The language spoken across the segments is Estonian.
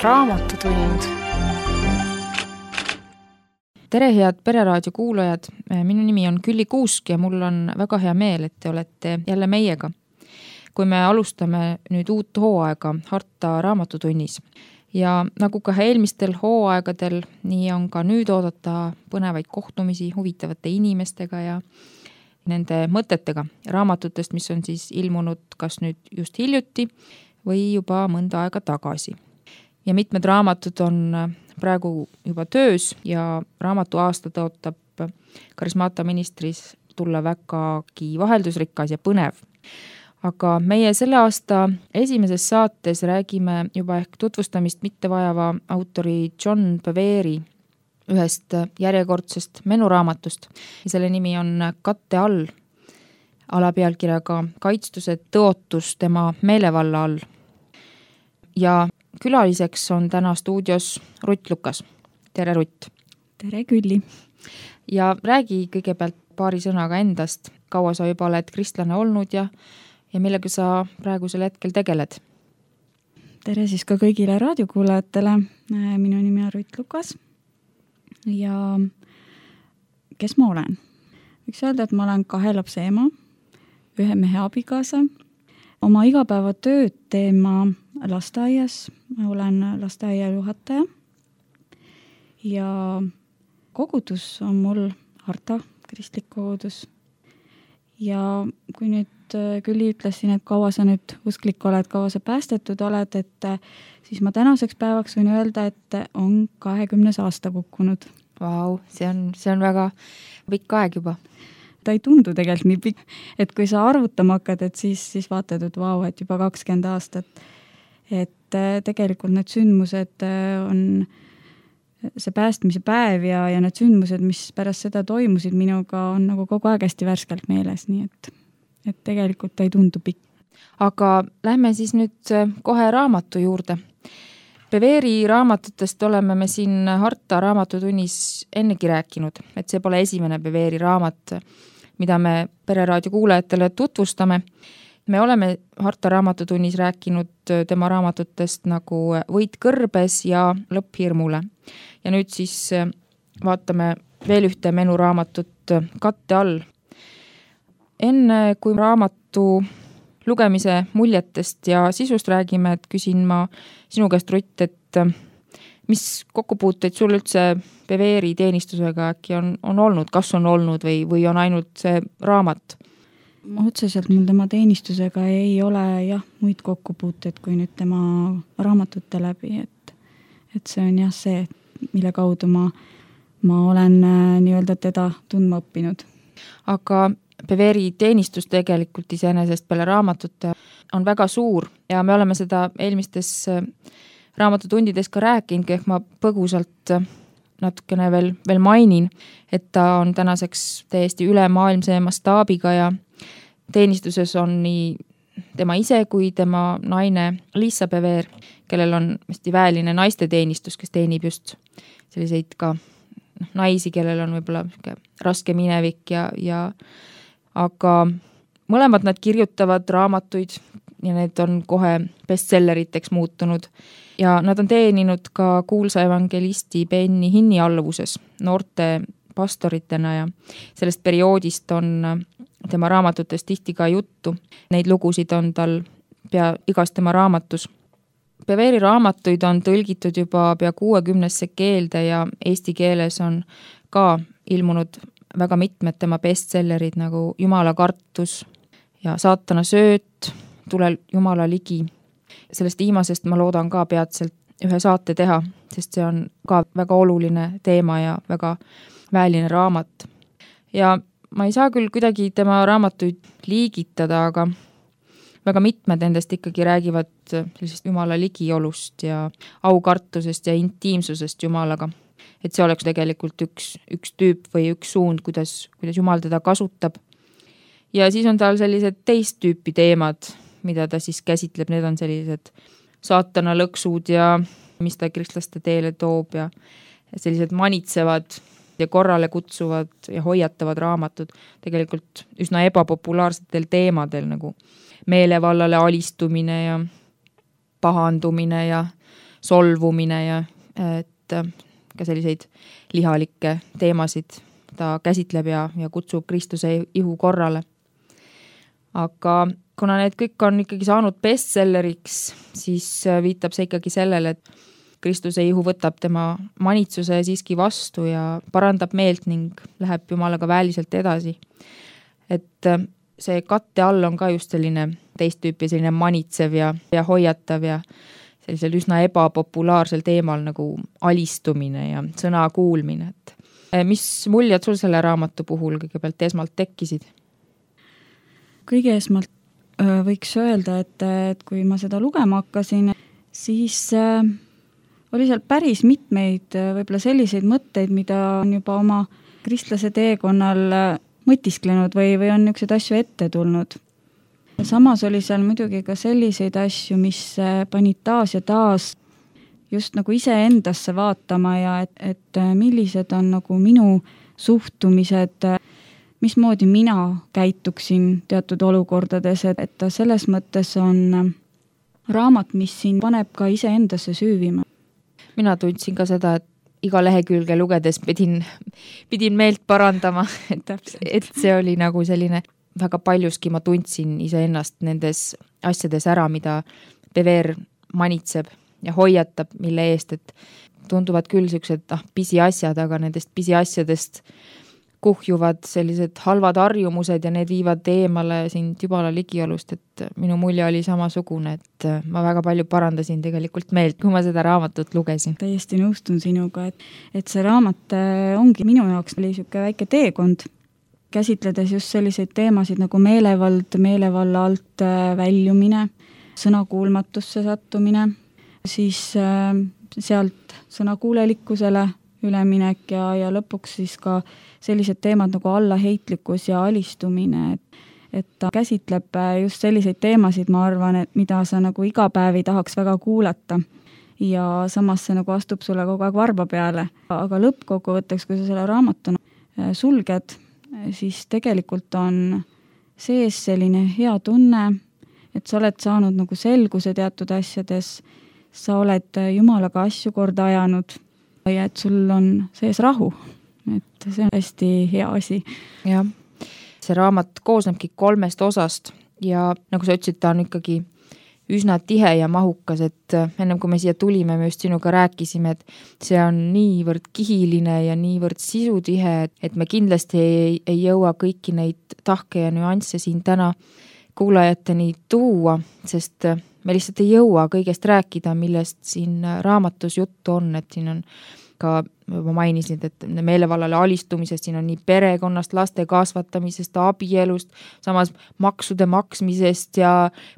Raamatutund. Tere, head Pereraadio kuulajad! Minu nimi on Külli Kuusk ja mul on väga hea meel, et te olete jälle meiega. Kui me alustame nüüd uut hooaega Harta Raamatutunnis. Ja nagu ka eelmistel hooaegadel, nii on ka nüüd oodata põnevaid kohtumisi huvitavate inimestega ja nende mõtetega raamatutest, mis on siis ilmunud kas nüüd just hiljuti või juba mõnda aega tagasi. Ja mitmed raamatud on praegu juba töös ja raamatu aasta tõotab Karismaata ministris tulla vägagi vaheldusrikas ja põnev. Aga meie selle aasta esimeses saates räägime juba ehk tutvustamist mitte vajava autori John Bevere ühest järjekordsest menuraamatust. Ja selle nimi on Katte all, alapealkirjaga Kaitstused tõotus tema meelevalla all. Ja külaliseks on täna stuudios Rutt Lukas. Tere, Rutt! Tere, Külli! Ja räägi kõigepealt paari sõnaga endast. Kaua sa juba oled kristlane olnud ja millega sa praegusel hetkel tegeled? Tere siis ka kõigile raadiokuulajatele. Minu nimi on Rutt Lukas. Ja kes ma olen? Võiks öelda, et ma olen 2 lapse ema, 1 mehe abikaasa. Oma igapäevatööd teen ma lasteaias. Ma olen lasteaia juhataja. Ja kogudus on mul Harta kristlik kogudus. Ja kui nüüd Külli ütlesin, et kaua sa nüüd usklik oled, kaua sa päästetud oled, et siis ma tänaseks päevaks võin öelda, et on 20. aasta kukkunud. Vau, see on väga pikk aeg juba. Ta ei tundu tegelikult nii pikk, et kui sa arvutama hakkad, et siis vaatad, et vau, et juba 20 aastat. Et tegelikult need sündmused on see päästmise päev ja need sündmused, mis pärast seda toimusid minuga, on nagu kogu aeg hästi värskelt meeles, nii et tegelikult ta ei tundu pikk. Aga lähme siis nüüd kohe raamatu juurde. Beveri raamatutest oleme me siin Harta Raamatutunnis ennegi rääkinud, et see pole esimene Beveri raamat, mida me Pereraadio kuulajatele tutvustame. Me oleme Harta Raamatutunnis rääkinud tema raamatutest nagu Võit kõrbes ja Lõpp hirmule. Ja nüüd siis vaatame veel ühte menuraamatut Katte all. Enne kui raamatu lugemise muljetest ja sisust räägime, et küsin ma sinu käest, Rutt, et mis kokkupuuteid sul üldse Beveri teenistusega äkki on olnud, kas on olnud või on ainult see raamat? Otseselt mul tema teenistusega ei ole muid kokkupuuteid kui nüüd tema raamatute läbi, et see on see, mille kaudu ma olen nii-öelda teda tundma õppinud. Aga Beveri teenistus tegelikult iseenesest peale raamatute on väga suur ja me oleme seda eelmistes raamatutundides ka rääkinud, ehk ma põgusalt natukene veel mainin, et ta on tänaseks täiesti ülemaailmse mastaabiga ja teenistuses on nii tema ise kui tema naine Liisa Bever, kellel on hästi väeline naiste teenistus, kes teenib just selliseid ka naisi, kellel on võib-olla raske minevik aga mõlemad nad kirjutavad raamatuid ja need on kohe bestselleriteks muutunud. Ja nad on teeninud ka kuulsa evangelisti Benny Hinni alluvuses noorte pastoritena ja sellest perioodist on tema raamatutes tihti ka juttu. Neid lugusid on tal pea igas tema raamatus. Beveri raamatuid on tõlgitud juba pea 60 keelde ja eesti keeles on ka ilmunud väga mitmed tema bestsellerid nagu Jumala kartus ja Saatana sööt, Tule Jumala ligi. Sellest viimasest ma loodan ka peatselt ühe saate teha, sest see on ka väga oluline teema ja väga väeline raamat. Ja ma ei saa küll kuidagi tema raamatuid liigitada, aga väga mitmed endast ikkagi räägivad sellisest Jumala ligiolust ja aukartusest ja intiimsusest Jumalaga. Et see oleks tegelikult üks tüüp või üks suund, kuidas Jumal teda kasutab. Ja siis on tal sellised teist tüüpi teemad, mida ta siis käsitleb. Need on sellised saatana lõksud ja mis ta kristlaste teele toob ja sellised manitsevad ja korrale kutsuvad ja hoiatavad raamatud tegelikult üsna ebapopulaarsetel teemadel nagu meelevallale alistumine ja pahandumine ja solvumine ja et ka selliseid lihalikke teemasid ta käsitleb ja kutsub Kristuse ihu korrale. Aga kuna need kõik on ikkagi saanud bestselleriks, siis viitab see ikkagi sellele, et Kristuse ihu võtab tema manitsuse siiski vastu ja parandab meelt ning läheb Jumalaga väeliselt edasi. Et see katte all on ka just selline teist tüüpi selline manitsev ja hoiatav ja sellisel üsna ebapopulaarsel teemal nagu alistumine ja sõna kuulmine. Et mis muljed sul selle raamatu puhul kõigepealt esmalt tekkisid? Kõige esmalt võiks öelda, et kui ma seda lugema hakkasin, siis oli seal päris mitmeid võib-olla selliseid mõtteid, mida on juba oma kristlase teekonnal mõtisklenud või on niisuguseid asju ette tulnud. Samas oli seal muidugi ka selliseid asju, mis panid taas ja taas just nagu iseendasse vaatama ja et millised on nagu minu suhtumised, mismoodi mina käituksin teatud olukordades, et ta selles mõttes on raamat, mis siin paneb ka iseendasse süüvima. Mina tundsin ka seda, et iga lehekülge lugedes pidin meelt parandama, et see oli nagu selline, väga paljuski ma tundsin iseennast nendes asjades ära, mida Pever manitseb ja hoiatab, mille eest, et tunduvad küll sellised pisiasjad, aga nendest pisiasjadest kuhjuvad sellised halvad harjumused ja need viivad eemale sind Jumala ligiolust, et minu mulje oli samasugune, et ma väga palju parandasin tegelikult meelt, kui ma seda raamatut lugesin. Täiesti nõustun sinuga, et see raamat ongi minu jaoks oli niisugune väike teekond, käsitledes just selliseid teemasid nagu meelevald, meelevalla alt väljumine, sõnakuulmatusse sattumine, siis sealt sõnakuulelikkusele üleminek ja lõpuks siis ka sellised teemad nagu allaheitlikkus ja alistumine, et ta käsitleb just selliseid teemasid, ma arvan, et mida sa nagu iga päev ei tahaks väga kuulata ja samas see nagu astub sulle kogu aeg varba peale. Aga lõppkokkuvõtteks, kui sa selle raamatu sulged, siis tegelikult on sees selline hea tunne, et sa oled saanud nagu selguse teatud asjades, sa oled Jumalaga asju korda ajanud ja et sul on sees rahu, et see on hästi hea asi. Jah, see raamat koosnebki 3 osast ja nagu sa ütlesid, ta on ikkagi üsna tihe ja mahukas, et ennem kui me siia tulime, me just sinuga rääkisime, et see on niivõrd kihiline ja niivõrd sisutihe, et me kindlasti ei jõua kõiki neid tahke ja nüansse siin täna kuulajateni tuua, sest me lihtsalt ei jõua kõigest rääkida, millest siin raamatus juttu on, et siin on ka, ma mainisin, et meelevallale alistumisest, siin on nii perekonnast, laste kasvatamisest, abielust, samas maksude maksmisest ja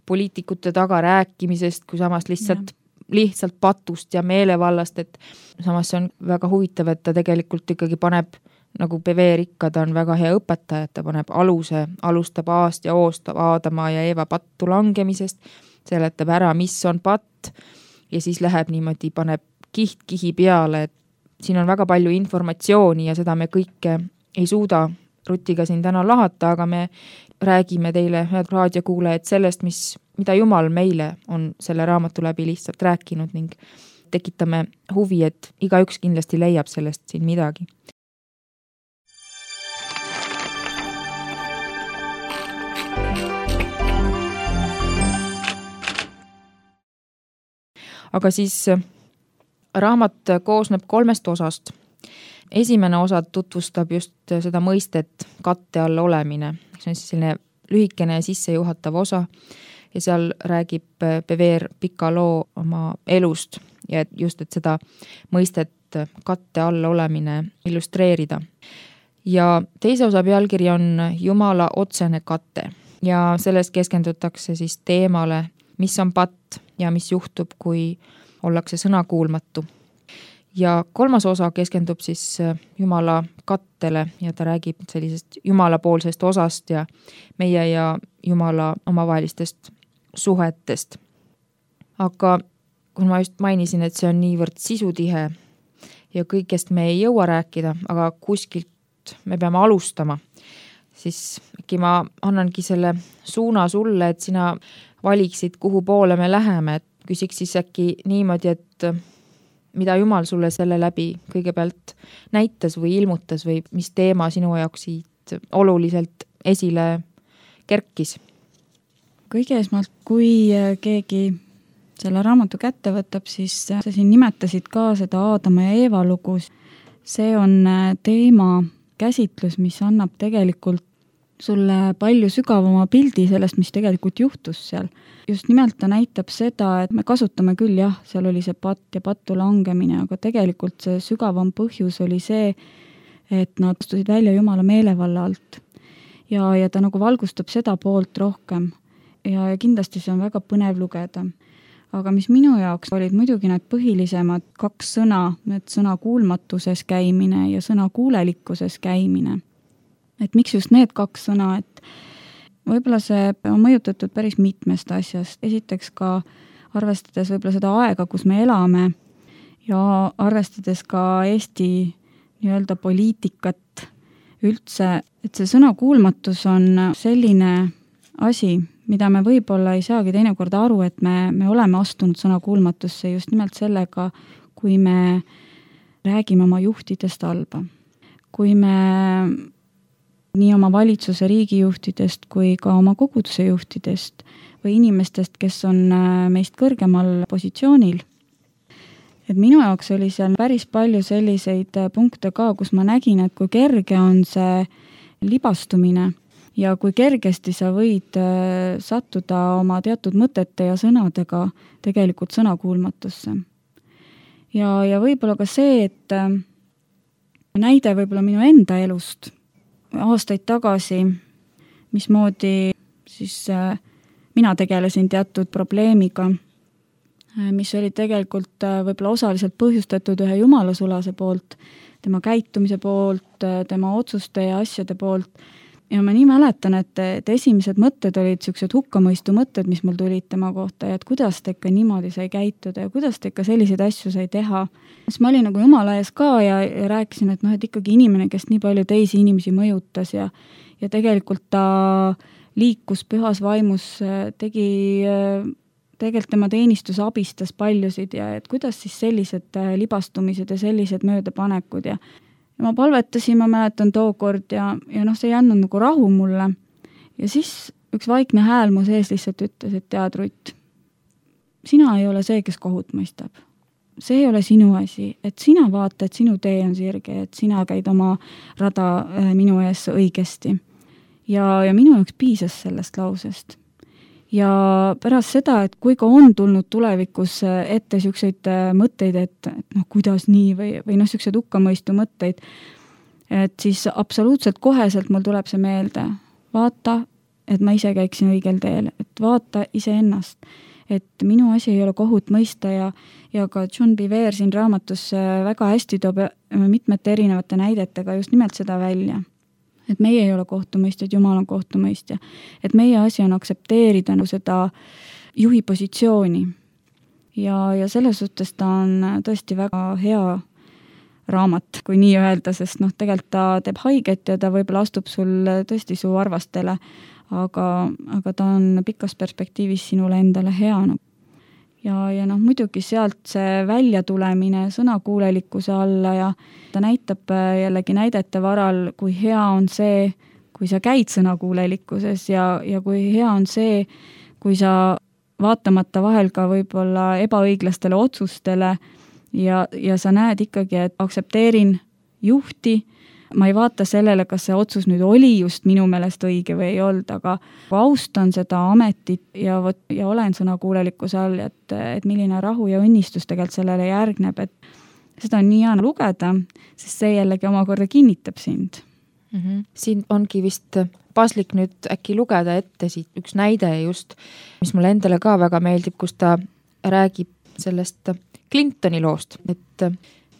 poliitikute taga rääkimisest, kui samas lihtsalt patust ja meelevallast, et samas see on väga huvitav, et ta tegelikult ikkagi paneb, nagu Pever ikka, ta on väga hea õpetaja, et ta paneb aluse, alustab Aast ja Oost, Aadama ja Eeva pattu langemisest, seletab ära, mis on patt ja siis läheb niimoodi, paneb kihi peale, et siin on väga palju informatsiooni ja seda me kõike ei suuda Rutiga siin täna lahata, aga me räägime teile, head raadiokuulajad, sellest, mida Jumal meile on selle raamatu läbi lihtsalt rääkinud ning tekitame huvi, et igaüks kindlasti leiab sellest siin midagi. Aga siis raamat koosneb 3 osast. Esimene osa tutvustab just seda mõistet katte all olemine. See on siis selline lühikene sissejuhatav osa ja seal räägib Pever pika loo oma elust ja just, et seda mõistet katte all olemine illustreerida. Ja teise osa pealkiri on Jumala otsene katte ja selles keskendutakse siis teemale, mis on patt ja mis juhtub, kui ollakse sõnakuulmatu. Ja 3. osa keskendub siis Jumala kattele ja ta räägib sellisest jumalapoolsest osast ja meie ja Jumala omavahelistest suhetest. Aga kui ma just mainisin, et see on niivõrd sisutihe ja kõigest me ei jõua rääkida, aga kuskilt me peame alustama, siis äkki ma annangi selle suuna sulle, et sina valiksid, kuhu poole me läheme, et küsiks siis äkki niimoodi, et mida Jumal sulle selle läbi kõigepealt näitas või ilmutas või mis teema sinu jaoks siit oluliselt esile kerkis? Kõige esmalt, kui keegi selle raamatu kätte võtab, siis sa siin nimetasid ka seda Aadama ja Eeva lugus. See on teema käsitlus, mis annab tegelikult sulle palju sügavama pildi sellest, mis tegelikult juhtus seal. Just nimelt ta näitab seda, et me kasutame küll jah, seal oli see patt ja pattu langemine, aga tegelikult see sügavam põhjus oli see, et nad astusid välja Jumala meelevalla alt. Ja ta nagu valgustab seda poolt rohkem. Ja kindlasti see on väga põnev lugeda. Aga mis minu jaoks olid muidugi need põhilisemad 2 sõna, need sõna kuulmatuses käimine ja sõna kuulelikkuses käimine. Et miks just need 2 sõna, et võib-olla see on mõjutatud päris mitmest asjast. Esiteks ka arvestades võib-olla seda aega, kus me elame ja arvestades ka Eesti nii-öelda poliitikat üldse, et see sõna kuulmatus on selline asi, mida me võib-olla ei saagi teinekord aru, et me oleme astunud sõna kuulmatusse just nimelt sellega, kui me räägime oma juhtidest halba. Kui me nii oma valitsuse riigijuhtidest kui ka oma koguduse juhtidest või inimestest, kes on meist kõrgemal positsioonil. Et minu jaoks oli seal päris palju selliseid punkte ka, kus ma nägin, et kui kerge on see libastumine ja kui kergesti sa võid sattuda oma teatud mõtete ja sõnadega tegelikult sõnakuulmatusse. Ja võib-olla ka see, et näide võib-olla minu enda elust aastaid tagasi, mismoodi siis mina tegelesin teatud probleemiga, mis oli tegelikult võib-olla osaliselt põhjustatud ühe jumalasulase poolt, tema käitumise poolt, tema otsuste ja asjade poolt. Ja ma nii mäletan, et esimesed mõtted olid sellised hukkamõistu mõtted, mis mul tulid tema kohta ja et kuidas ta ikka niimoodi sai käituda ja kuidas ta ikka selliseid asju sai teha. Siis ma olin nagu Jumala ees ka ja rääkisin, et et ikkagi inimene, kes nii palju teisi inimesi mõjutas ja tegelikult ta liikus pühas vaimus, tegelikult tema teenistus abistas paljusid ja et kuidas siis sellised libastumised ja sellised möödapanekud ja ma palvetasin, ma mäletan tookord ja see ei andnud nagu rahu mulle. Ja siis üks vaikne hääl mu sees lihtsalt ütles, et tead, Rutt, sina ei ole see, kes kohut mõistab. See ei ole sinu asi, et sina vaata, et sinu tee on sirge, et sina käid oma rada minu ees õigesti. Ja minu jaoks piisas sellest lausest. Ja pärast seda, et kui ka on tulnud tulevikus ette selliseid mõtteid, et kuidas nii või sellised hukkamõistu mõtteid, et siis absoluutselt koheselt mul tuleb see meelde. Vaata, et ma ise käiksin õigel teel, et vaata iseennast, et minu asi ei ole kohut mõista ja ka John Bevere siin raamatus väga hästi toob mitmete erinevate näidetega just nimelt seda välja. Et meie ei ole kohtumõistjad, Jumal on kohtumõistja. Et meie asi on aksepteerida seda juhi positsiooni. Ja selles suhtes ta on tõesti väga hea raamat, kui nii öelda, sest tegelikult ta teeb haiget ja ta võib-olla astub sul tõesti su arvastele, aga ta on pikas perspektiivis sinule endale hea. Ja muidugi sealt see välja tulemine sõnakuulelikkuse alla ja ta näitab jällegi näidete varal, kui hea on see, kui sa käid sõnakuulelikkuses ja kui hea on see, kui sa vaatamata vahel ka võib-olla ebaõiglastele otsustele ja sa näed ikkagi, et aksepteerin juhti, ma ei vaata sellele, kas see otsus nüüd oli just minu meelest õige või ei olnud, aga austan seda ametit ja olen sõnakuulelikkuse all, et milline rahu ja õnnistus tegelikult sellele järgneb, et seda on nii hea lugeda, sest see jällegi omakorda kinnitab sind. Siin ongi vist paslik nüüd äkki lugeda ette siit üks näide just, mis mulle endale ka väga meeldib, kus ta räägib sellest Clintoni loost, et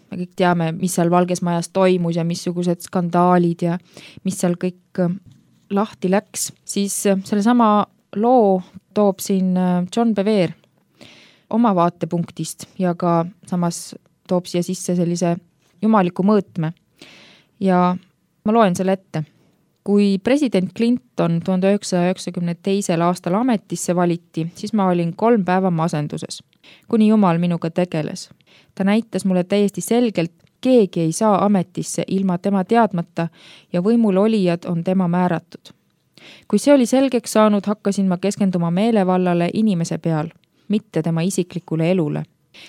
me kõik teame, mis seal Valges Majas toimus ja missugused skandaalid ja mis seal kõik lahti läks, siis selle sama loo toob siin John Bevere oma vaatepunktist ja ka samas toob siia sisse sellise jumaliku mõõtme. Ja ma loen selle ette. Kui president Clinton 1992. aastal ametisse valiti, siis ma olin 3 päeva masenduses. kuni Jumal minuga tegeles. Ta näitas mulle täiesti selgelt, keegi ei saa ametisse ilma tema teadmata ja võimul olijad on tema määratud. Kui see oli selgeks saanud, hakkasin ma keskenduma meelevallale inimese peal, mitte tema isiklikule elule.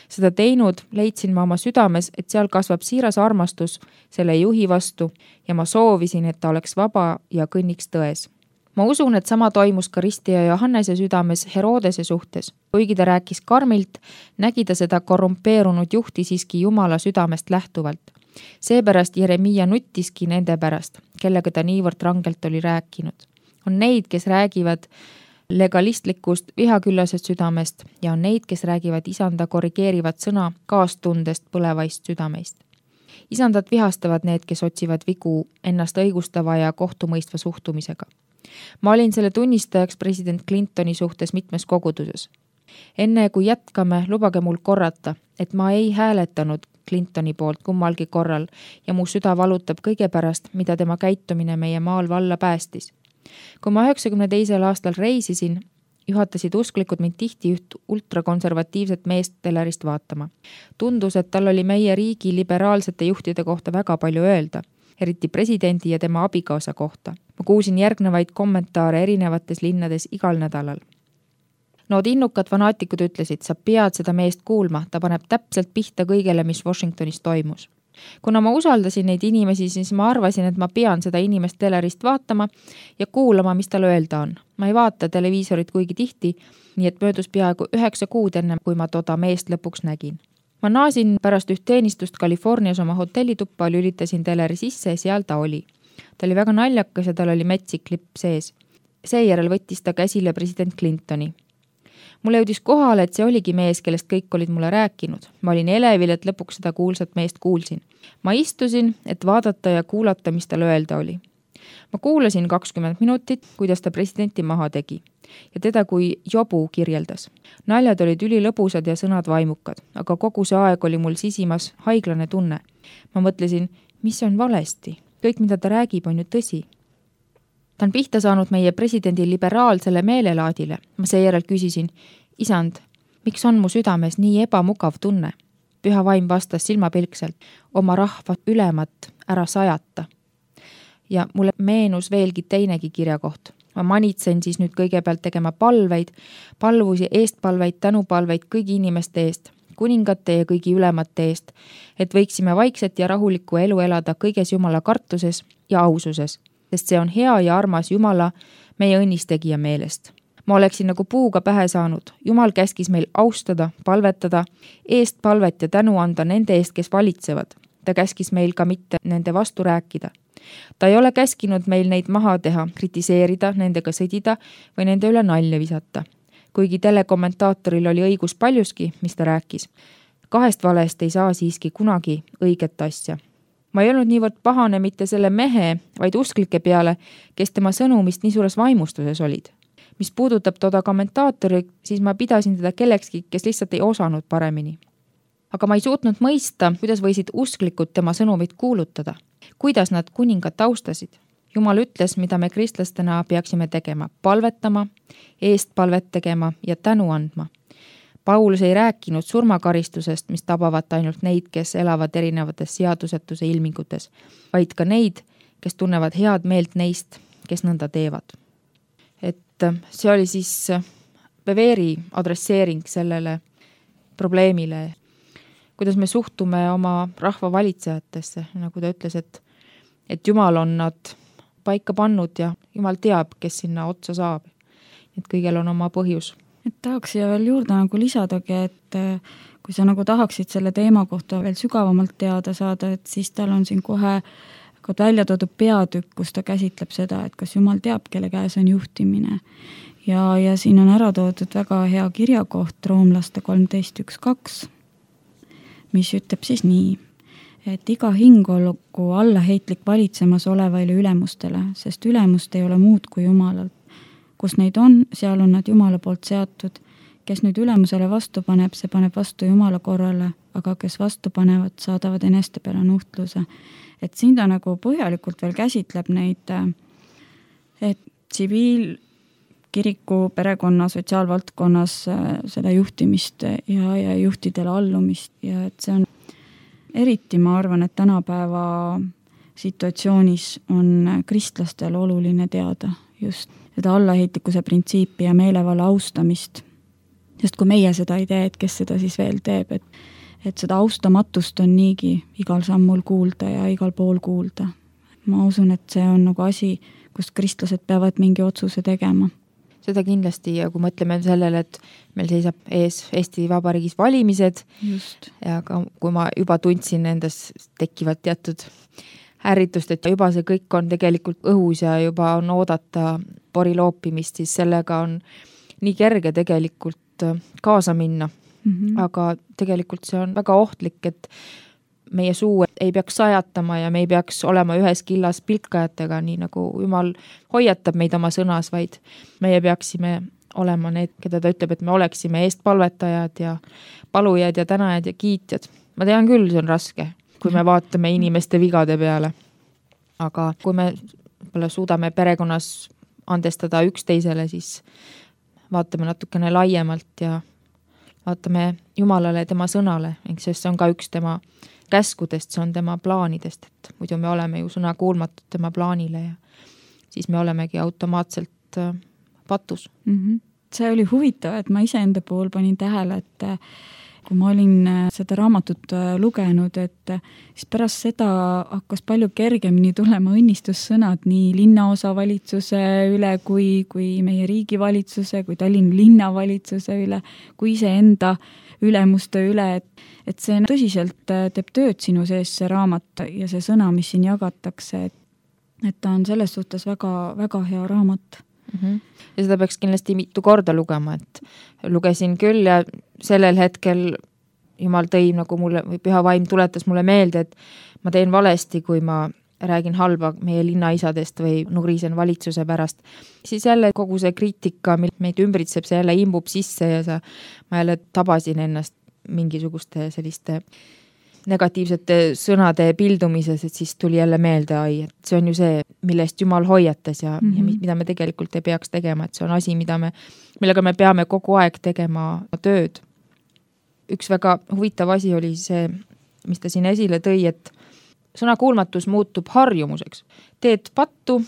Seda teinud leidsin ma oma südames, et seal kasvab siiras armastus selle juhi vastu ja ma soovisin, et ta oleks vaba ja kõnniks tões. Ma usun, et sama toimus ka Ristija Johannese südames Herodese suhtes. Kuigi ta rääkis karmilt, nägi ta seda korrumpeerunud juhti siiski Jumala südamest lähtuvalt. Seepärast Jeremiia nuttiski nende pärast, kellega ta niivõrd rangelt oli rääkinud. On neid, kes räägivad legalistlikust vihaküllasest südamest ja on neid, kes räägivad isanda korrigeerivat sõna kaastundest põlevaist südameist. Isandat vihastavad need, kes otsivad vigu ennast õigustava ja kohtumõistva suhtumisega. Ma olin selle tunnistajaks president Clintoni suhtes mitmes koguduses. Enne kui jätkame, lubage mul korrata, et ma ei hääletanud Clintoni poolt kummalgi korral ja mu süda valutab kõige pärast, mida tema käitumine meie maal valla päästis. Kui ma 92. aastal reisisin, juhatasid usklikud mind tihti üht ultrakonservatiivset meest telerist vaatama. Tundus, et tal oli meie riigi liberaalsete juhtide kohta väga palju öelda, eriti presidendi ja tema abikaasa kohta. Ma kuulsin järgnevaid kommentaare erinevates linnades igal nädalal. Nood innukad fanaatikud ütlesid, sa pead seda meest kuulma, ta paneb täpselt pihta kõigele, mis Washingtonis toimus. Kuna ma usaldasin neid inimesi, siis ma arvasin, et ma pean seda inimest telerist vaatama ja kuulama, mis tal öelda on. Ma ei vaata televiisorit kuigi tihti, nii et möödus peaaegu 9 kuud enne, kui ma toda meest lõpuks nägin. Ma naasin pärast üht teenistust Californias oma hotellituppa, lülitasin teleri sisse ja seal ta oli. Ta oli väga naljakas ja tal oli metsik lipp sees. Seejärel võttis ta käsile president Clintoni. Mulle jõudis kohale, et see oligi mees, kellest kõik olid mulle rääkinud. Ma olin elevil, et lõpuks seda kuulsat meest kuulsin. Ma istusin, et vaadata ja kuulata, mis tal öelda oli. Ma kuulasin 20 minutit, kuidas ta presidenti maha tegi ja teda kui jobu kirjeldas. Naljad olid ülilõbusad ja sõnad vaimukad, aga kogu see aeg oli mul sisimas haiglane tunne. Ma mõtlesin, mis on valesti? Kõik, mida ta räägib, on ju tõsi. Ta on pihta saanud meie presidendi liberaalsele meelelaadile. Ma seejärel küsisin, isand, miks on mu südames nii ebamugav tunne? Püha vaim vastas silmapilkselt, oma rahva ülemat ära sajata. Ja mulle meenus veelgi teinegi kirjakoht. Ma manitsen siis nüüd kõigepealt tegema palveid, palvusi, eestpalveid, tänupalveid kõigi inimeste eest, kuningate ja kõigi ülemate eest, et võiksime vaikset ja rahulikku elu elada kõiges Jumala kartuses ja aususes, sest see on hea ja armas Jumala meie õnnistegija meelest. Ma oleksin nagu puuga pähe saanud. Jumal käskis meil austada, palvetada, eest palvet ja tänu anda nende eest, kes valitsevad. Ta käskis meil ka mitte nende vastu rääkida. Ta ei ole käskinud meil neid maha teha, kritiseerida, nendega sõdida või nende üle nalja visata. Kuigi telekommentaatoril oli õigus paljuski, mis ta rääkis. 2 valest ei saa siiski kunagi õiget asja. Ma ei olnud niivõrd pahane mitte selle mehe, vaid usklike peale, kes tema sõnumist nii suures vaimustuses olid. Mis puudutab toda kommentaatori, siis ma pidasin teda kellekski, kes lihtsalt ei osanud paremini. Aga ma ei suutnud mõista, kuidas võisid usklikud tema sõnumit kuulutada. Kuidas nad kuningat austasid. Jumal ütles, mida me kristlastena peaksime tegema. Palvetama, eest palvet tegema ja tänu andma. Paulus ei rääkinud surmakaristusest, mis tabavad ainult neid, kes elavad erinevates seadusetuse ilmingutes, vaid ka neid, kes tunnevad head meelt neist, kes nõnda teevad. Et see oli siis Beveri adresseering sellele probleemile, kuidas me suhtume oma rahva valitsejatesse, nagu ta ütles, et Jumal on nad paika pannud ja Jumal teab, kes sinna otsa saab. Et kõigel on oma põhjus. Et tahaks siia veel juurde nagu lisadagi, et kui sa nagu tahaksid selle teema kohta veel sügavamalt teada saada, et siis tal on siin kohe välja toodud peatükk, kus ta käsitleb seda, et kas Jumal teab, kelle käes on juhtimine. Ja siin on ära toodud väga hea kirjakoht Roomlaste 13.1.2, mis ütleb siis nii, et iga hing olgu allaheitlik valitsemas olevaile ülemustele, sest ülemust ei ole muud kui Jumalalt. Kus neid on, seal on nad Jumala poolt seatud. Kes nüüd ülemusele vastu paneb, see paneb vastu Jumala korrale, aga kes vastu panevad, saadavad eneste peale nuhtluse. Et siin ta nagu põhjalikult veel käsitleb neid, et kiriku, perekonna, sotsiaalvaldkonnas seda juhtimist ja juhtidele allumist ja et see on eriti, ma arvan, et tänapäeva situatsioonis on kristlastel oluline teada just seda allaheitlikkuse printsiipi ja meelevalla austamist. Sest kui meie seda ei tee, et kes seda siis veel teeb, et seda austamatust on niigi igal sammul kuulda ja igal pool kuulda. Ma usun, et see on nagu asi, kus kristlased peavad mingi otsuse tegema. Seda kindlasti ja kui mõtleme sellele, et meil seisab ees Eesti Vabariigis valimised just. Ja kui ma juba tundsin endas tekivad teatud ärritust, et juba see kõik on tegelikult õhus ja juba on oodata pori loopimist, siis sellega on nii kerge tegelikult kaasa minna. Aga tegelikult see on väga ohtlik, et meie suu ei peaks sajatama ja me ei peaks olema ühes killas pilkajatega, nii nagu Jumal hoiatab meid oma sõnas, vaid meie peaksime olema need, keda ta ütleb, et me oleksime eestpalvetajad ja palujad ja tänajad ja kiitjad. Ma tean küll, see on raske, kui me vaatame inimeste vigade peale. Aga kui me suudame perekonnas andestada üksteisele, siis vaatame natukene laiemalt ja vaatame Jumalale tema sõnale, sest see on ka üks tema käskudest, see on tema plaanidest, et muidu me oleme ju sõna kuulmatud tema plaanile ja siis me olemegi automaatselt patus. See oli huvitav, et ma iseenda puhul panin tähele, et kui ma olin seda raamatut lugenud, et siis pärast seda hakkas palju kergemini tulema õnnistussõnad nii linnaosavalitsuse üle kui meie riigivalitsuse, kui Tallinna linnavalitsuse üle, kui iseenda ülemuste üle, et see tõsiselt teeb tööd sinu sees see raamat ja see sõna, mis siin jagatakse, et ta on selles suhtes väga, väga hea raamat. Ja seda peaks kindlasti mitu korda lugema, et lugesin küll ja sellel hetkel Jumal tõi nagu mulle, või Püha Vaim tuletas mulle meelde, et ma teen valesti, kui ma räägin halba meie linnaisadest või nurisen valitsuse pärast. Siis jälle kogu see kriitika, meid ümbritseb, see jälle imbub sisse ja ma jälle tabasin ennast mingisuguste selliste negatiivsete sõnade pildumises, et siis tuli jälle meelde, et see on ju see, millest Jumal hoiatas ja mida me tegelikult ei peaks tegema, et see on asi, millega me peame kogu aeg tegema tööd. Üks väga huvitav asi oli see, mis ta siin esile tõi, et sõna kuulmatus muutub harjumuseks. Teed pattu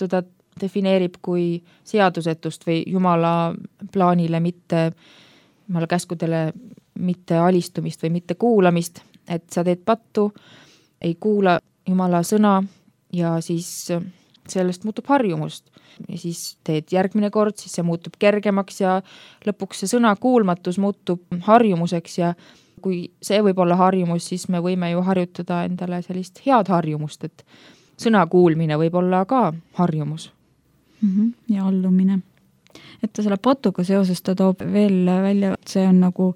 ta defineerib kui seadusetust või Jumala plaanile mitte, Jumala käskudele mitte alistumist või mitte kuulamist, et sa teed pattu, ei kuula Jumala sõna ja siis sellest muutub harjumust. Ja siis teed järgmine kord, siis see muutub kergemaks ja lõpuks see sõna kuulmatus muutub harjumuseks ja kui see võib olla harjumus, siis me võime ju harjutada endale sellist head harjumust, et sõna kuulmine võib olla ka harjumus. Ja allumine. Et ta selle patuga seoses ta toob veel välja, et see on nagu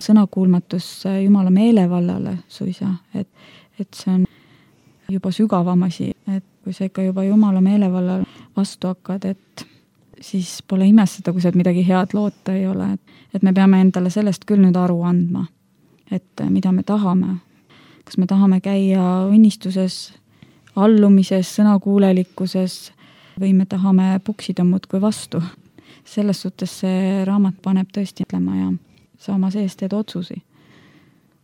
sõnakuulmatus Jumala meelevallale suisa, et see on juba sügavam asi, et kui sa ikka juba Jumala meelevallal vastu hakkad, et siis pole imestada, kui sealt midagi head loota ei ole, et me peame endale sellest küll nüüd aru andma, et mida me tahame. Kas me tahame käia õnnistuses, allumises, sõnakuulelikkuses või me tahame puksida muudkui vastu. Selles suhtes see raamat paneb tõesti mõtlema ja sa oma sees teed otsusi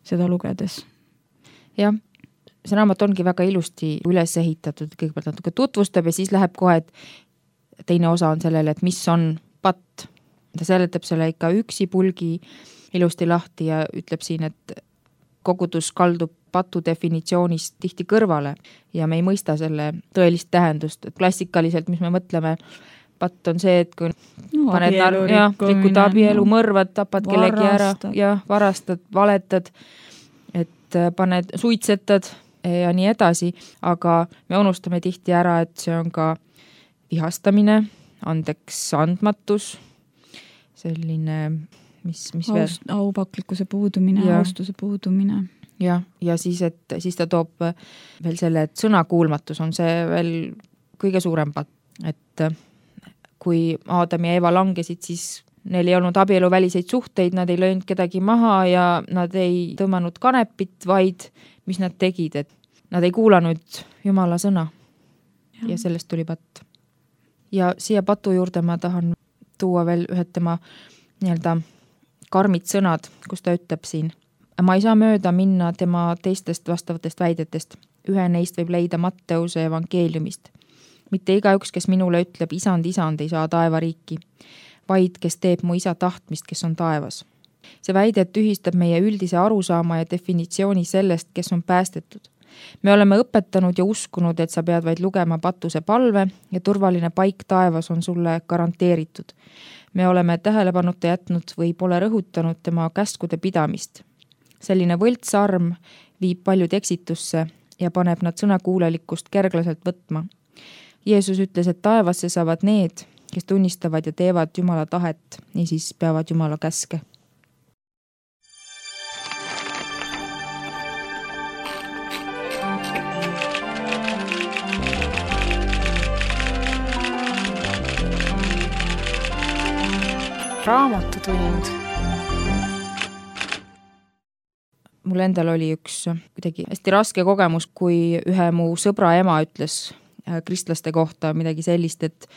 seda lugedes. Jah, see raamat ongi väga ilusti üles ehitatud, kõigepealt natuke tutvustab ja siis läheb kohe, et teine osa on sellele, et mis on patt. Ta seletab selle ikka üksipulgi ilusti lahti ja ütleb siin, et kogudus kaldub patu definitsioonist tihti kõrvale ja me ei mõista selle tõelist tähendust. Et klassikaliselt, mis me mõtleme, patt on see, et kui paned rikud abielu, mõrvad, tapad kellegi ära ja varastad, valetad, et paned, suitsetad ja nii edasi, aga me unustame tihti ära, et see on ka vihastamine, andeks andmatus, selline, mis veel? Aupaklikkuse puudumine, austuse puudumine. Ja siis ta toob veel selle, et sõnakuulmatus on see veel kõige suurem patt, et kui Aadam ja Eva langesid, siis neil ei olnud abieluväliseid suhteid, nad ei löönud kedagi maha ja nad ei tõmmanud kanepit, vaid mis nad tegid, et nad ei kuulanud Jumala sõna ja sellest tuli patt. Ja siia patu juurde ma tahan tuua veel ühed tema nii-öelda karmid sõnad, kus ta ütleb siin: ma ei saa mööda minna tema teistest vastavatest väidetest. Ühe neist võib leida Matteuse evangeeliumist. Mitte igaüks, kes minule ütleb, isand, isand, ei saa taevariiki, vaid kes teeb mu isa tahtmist, kes on taevas. See väide tühistab meie üldise arusaama ja definitsiooni sellest, kes on päästetud. Me oleme õpetanud ja uskunud, et sa pead vaid lugema patuse palve ja turvaline paik taevas on sulle garanteeritud. Me oleme tähelepanuta jätnud või pole rõhutanud tema käskude pidamist. Selline võltsarm viib paljud eksitusse ja paneb nad sõnakuulelikkust kerglaselt võtma. Jeesus ütles, et taevasse saavad need, kes tunnistavad ja teevad Jumala tahet, niisiis peavad Jumala käske. Raamatutund. Mul endal oli üks kuidagi hästi raske kogemus, kui ühe mu sõbra ema ütles kristlaste kohta midagi sellist, et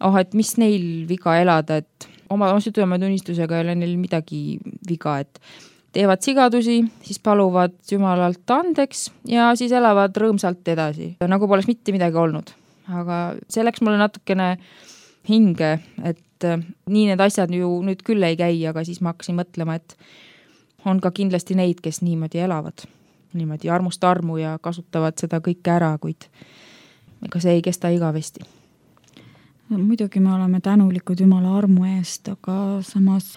et mis neil viga elada, et oma südametunnistusega ei ole neil midagi viga, et teevad sigadusi, siis paluvad Jumalalt andeks ja siis elavad rõõmsalt edasi. Nagu poleks mitte midagi olnud. Aga see läks mulle natukene hinge, et nii need asjad ju nüüd küll ei käi, aga siis ma hakkasin mõtlema, et on ka kindlasti neid, kes niimoodi elavad. Niimoodi armust armu ja kasutavad seda kõike ära, kuid ega see ei kesta igavesti. Muidugi me oleme tänulikud Jumala armu eest, aga samas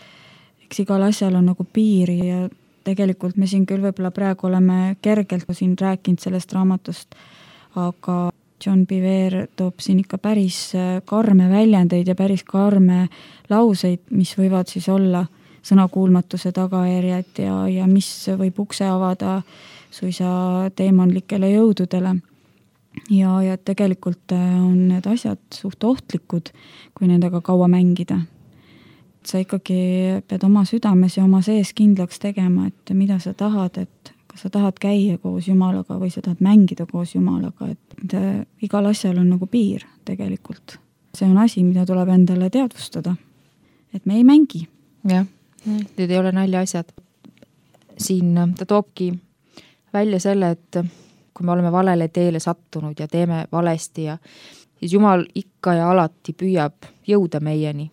eks igal asjal on nagu piiri ja tegelikult me siin küll võib-olla praegu oleme kergelt siin rääkinud sellest raamatust, aga John Bevere toob siin ikka päris karme väljendeid ja päris karme lauseid, mis võivad siis olla sõnakuulmatuse tagajärjed ja mis võib ukse avada suisa teemanlikele jõududele. Ja tegelikult on need asjad suht ohtlikud, kui nendega kaua mängida. Sa ikkagi pead oma südames ja oma sees kindlaks tegema, et mida sa tahad, et kas sa tahad käia koos Jumalaga või sa tahad mängida koos Jumalaga, et igal asjal on nagu piir tegelikult. See on asi, mida tuleb endale teadvustada, et me ei mängi. Jah, need ei ole nalja asjad. Siin ta toobki välja selle, et kui me oleme valele teele sattunud ja teeme valesti ja siis Jumal ikka ja alati püüab jõuda meieni.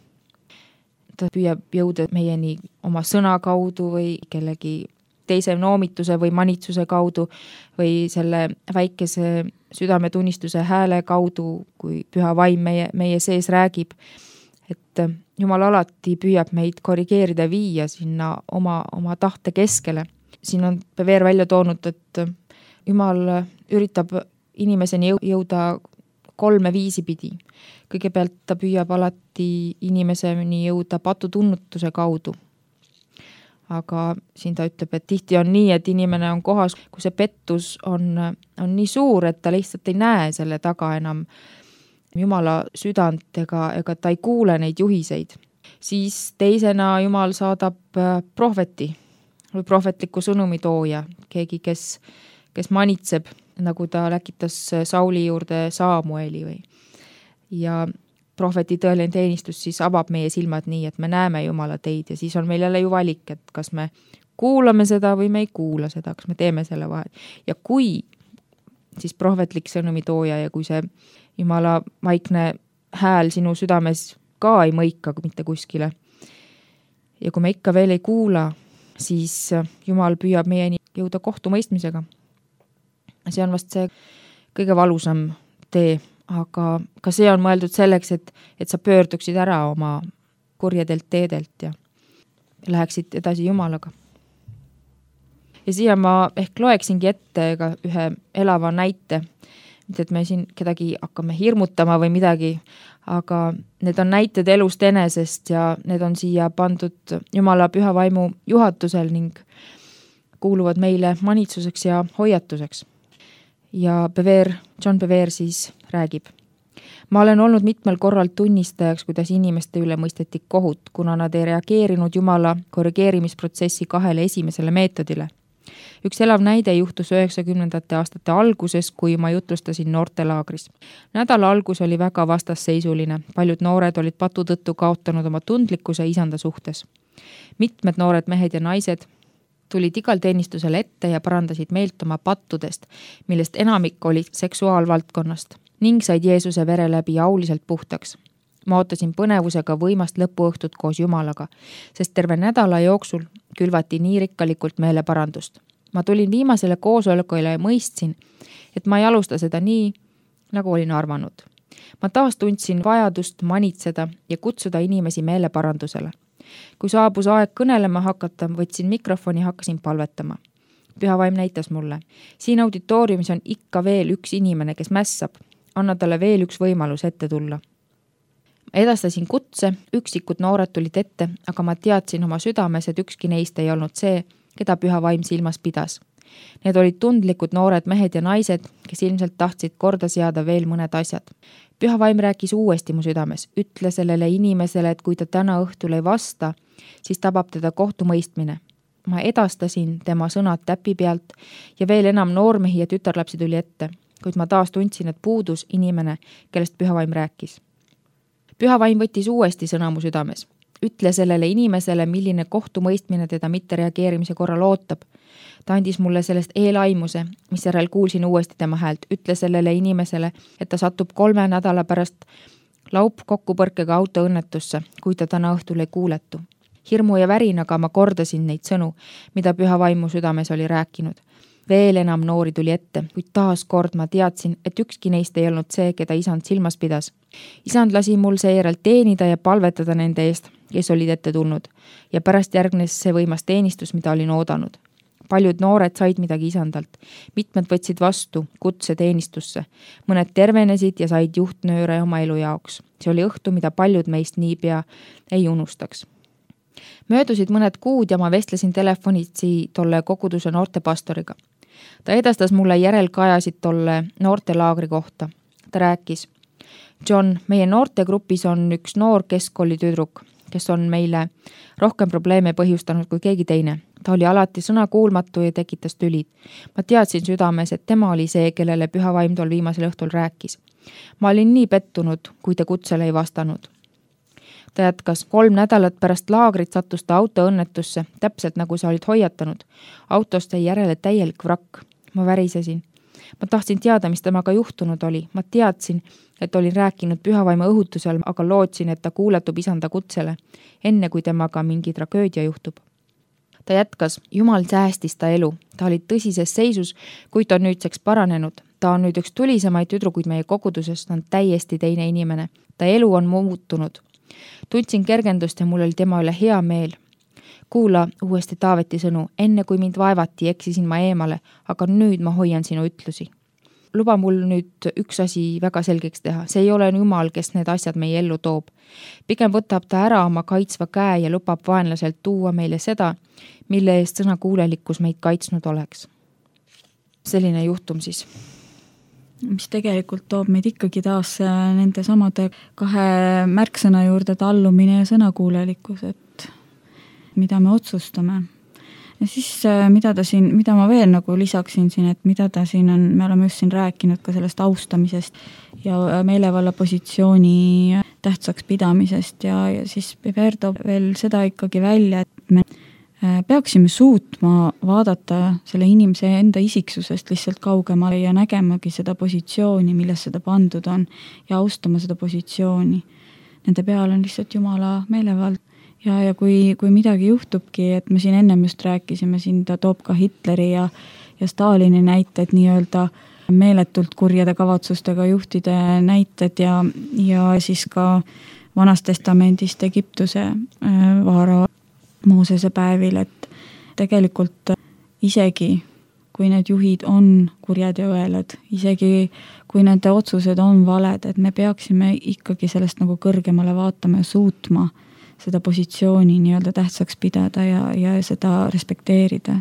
Ta püüab jõuda meieni oma sõna kaudu või kellegi teise noomituse või manitsuse kaudu või selle väikese südametunnistuse hääle kaudu, kui püha vaim meie sees räägib. Et Jumal alati püüab meid korrigeerida viia sinna oma tahte keskele. Siin on Bevere välja toonud, et Jumal üritab inimeseni jõuda 3 viisi pidi. Kõigepealt ta püüab alati inimeseni jõuda patutunnutuse kaudu. Aga siin ta ütleb, et tihti on nii, et inimene on kohas, kui see pettus on nii suur, et ta lihtsalt ei näe selle taga enam Jumala südant ega ta ei kuule neid juhiseid. Siis teisena Jumal saadab prohveti või prohvetliku sõnumi tooja, keegi, kes manitseb, nagu ta läkitas Sauli juurde Saamueli või. Ja prohveti tõeline teenistus siis avab meie silmad nii, et me näeme Jumala teid ja siis on meil jälle ju valik, et kas me kuulame seda või me ei kuula seda, kas me teeme selle vahet. Ja kui siis prohvetlik sõnumi tooja ja kui see Jumala vaikne hääl sinu südames ka ei mõika mitte kuskile ja kui me ikka veel ei kuula, siis Jumal püüab meieni jõuda kohtumõistmisega. See on vast see kõige valusam tee, aga ka see on mõeldud selleks, et sa pöörduksid ära oma kurjedelt teedelt ja läheksid edasi Jumalaga. Ja siia ma ehk loeksingi ette ühe elava näite, mitte et me siin kedagi hakkame hirmutama või midagi, aga need on näited elust enesest ja need on siia pandud Jumala püha vaimu juhatusel ning kuuluvad meile manitsuseks ja hoiatuseks. Ja John Bevere siis räägib. Ma olen olnud mitmel korral tunnistajaks, kuidas inimeste üle mõisteti kohut, kuna nad ei reageerinud Jumala korrigeerimisprotsessi 2 esimesele meetodile. Üks elav näide juhtus 90. aastate alguses, kui ma jutlustasin noortelaagris. Nädala algus oli väga vastasseisuline. Paljud noored olid patu tõttu kaotanud oma tundlikkuse isanda suhtes. Mitmed noored mehed ja naised tulid igal teenistusel ette ja parandasid meelt oma pattudest, millest enamik oli seksuaalvaldkonnast ning said Jeesuse vere läbi auliselt puhtaks. Ma ootasin põnevusega võimast lõpuõhtut koos Jumalaga, sest terve nädala jooksul külvati nii rikkalikult meeleparandust. Ma tulin viimasele koosolekule ja mõistsin, et ma ei alusta seda nii, nagu olin arvanud. Ma taas tundsin vajadust manitseda ja kutsuda inimesi meeleparandusele. Kui saabus aeg kõnelema hakata, võtsin mikrofoni ja hakkasin palvetama. Püha Vaim näitas mulle. Siin auditooriumis on ikka veel üks inimene, kes mässab. Anna talle veel üks võimalus ette tulla. Edastasin kutse, üksikud noored tulid ette, aga ma teadsin oma südames, et ükski neist ei olnud see, keda Püha Vaim silmas pidas. Need olid tundlikud noored mehed ja naised, kes ilmselt tahtsid korda seada veel mõned asjad. Püha Vaim rääkis uuesti mu südames. Ütle sellele inimesele, et kui ta täna õhtul ei vasta, siis tabab teda kohtumõistmine. Ma edastasin tema sõnad täpi pealt ja veel enam noormehi ja tütarlapsi tuli ette, kuid ma taas tundsin, et puudus inimene, kellest Püha Vaim rääkis. Püha Vaim võttis uuesti sõna mu südames. Ütle sellele inimesele, milline kohtumõistmine teda mitte reageerimise korral ootab. Ta andis mulle sellest eelaimuse, mis järel kuulsin uuesti tema häält. Ütle sellele inimesele, et ta satub 3 nädala pärast laupkokkupõrkega autoõnnetusse, kui ta täna õhtul ei kuuletu. Hirmu ja värinaga ma kordasin neid sõnu, mida Püha Vaim mu südames oli rääkinud. Veel enam noori tuli ette, kuid taas kord ma teadsin, et ükski neist ei olnud see, keda isand silmas pidas. Isand lasi mul seejärel teenida ja palvetada nende eest, kes olid ette tulnud, ja pärast järgnes see võimas teenistus, mida olin oodanud. Paljud noored said midagi isandalt. Mitmed võtsid vastu kutse teenistusse. Mõned tervenesid ja said juhtnööre oma elu jaoks. See oli õhtu, mida paljud meist niipea ei unustaks. Möödusid mõned kuud ja ma vestlesin telefonitsi tolle koguduse noortepastoriga. Ta edastas mulle järelkajasid tolle noortelaagri kohta. Ta rääkis: John, meie noortegrupis on üks noor keskkooli tüdruk, kes on meile rohkem probleeme põhjustanud kui keegi teine. Ta oli alati sõnakuulmatu ja tekitas tülid. Ma teadsin südames, et tema oli see, kellele Püha Vaim tol viimasel õhtul rääkis. Ma olin nii pettunud, kui ta kutsele ei vastanud. Ta jätkas: 3 nädalat pärast laagrit sattus ta autoõnnetusse, täpselt nagu sa olid hoiatanud. Autost jäi järele täielik vrakk. Ma värisesin. Ma tahtsin teada, mis temaga juhtunud oli. Ma teadsin, et olin rääkinud Püha Vaimu õhutusel, aga lootsin, et ta kuuletub isanda kutsele, enne kui temaga mingi tragöödia juhtub. Ta jätkas: Jumal säästis ta elu. Ta oli tõsises seisus, kuid ta on nüüdseks paranenud. Ta on nüüd üks tulisemaid tüdrukuid meie kogudusest, on täiesti teine inimene. Ta elu on muutunud. Tundsin kergendust ja mul oli tema üle hea meel. Kuula uuesti Taaveti sõnu. Enne kui mind vaevati, eksisin ma eemale, aga nüüd ma hoian sinu ütlusi. Luba mul nüüd üks asi väga selgeks teha. See ei ole Jumal, kes need asjad meie ellu toob. Pigem võtab ta ära oma kaitsva käe ja lubab vaenlaselt tuua meile seda, mille eest sõnakuulelikkus meid kaitsnud oleks. Selline juhtum siis. Mis tegelikult toob meid ikkagi taas nende samade 2 märksõna juurde, tallumine ja sõnakuulelikkus, et mida me otsustame. Ja siis mida ma veel nagu lisaksin siin, et mida ta siin on, me oleme just siin rääkinud ka sellest austamisest ja meelevalla positsiooni tähtsaks pidamisest ja siis Piper toob veel seda ikkagi välja, et me peaksime suutma vaadata selle inimese enda isiksusest lihtsalt kaugemale ja nägemagi seda positsiooni, milles seda pandud on ja austama seda positsiooni. Nende peal on lihtsalt Jumala meelevald. Ja kui midagi juhtubki, et me siin ennem just rääkisime, siin ta toob ka Hitleri ja Stalini näited, nii-öelda meeletult kurjade kavatsustega juhtide näited ja siis ka Vanas Testamendist Egiptuse vaara Moosese päevil, et tegelikult isegi kui need juhid on kurjad ja õelad, isegi kui nende otsused on valed, et me peaksime ikkagi sellest nagu kõrgemale vaatama ja suutma seda positsiooni nii-öelda tähtsaks pidada ja seda respekteerida.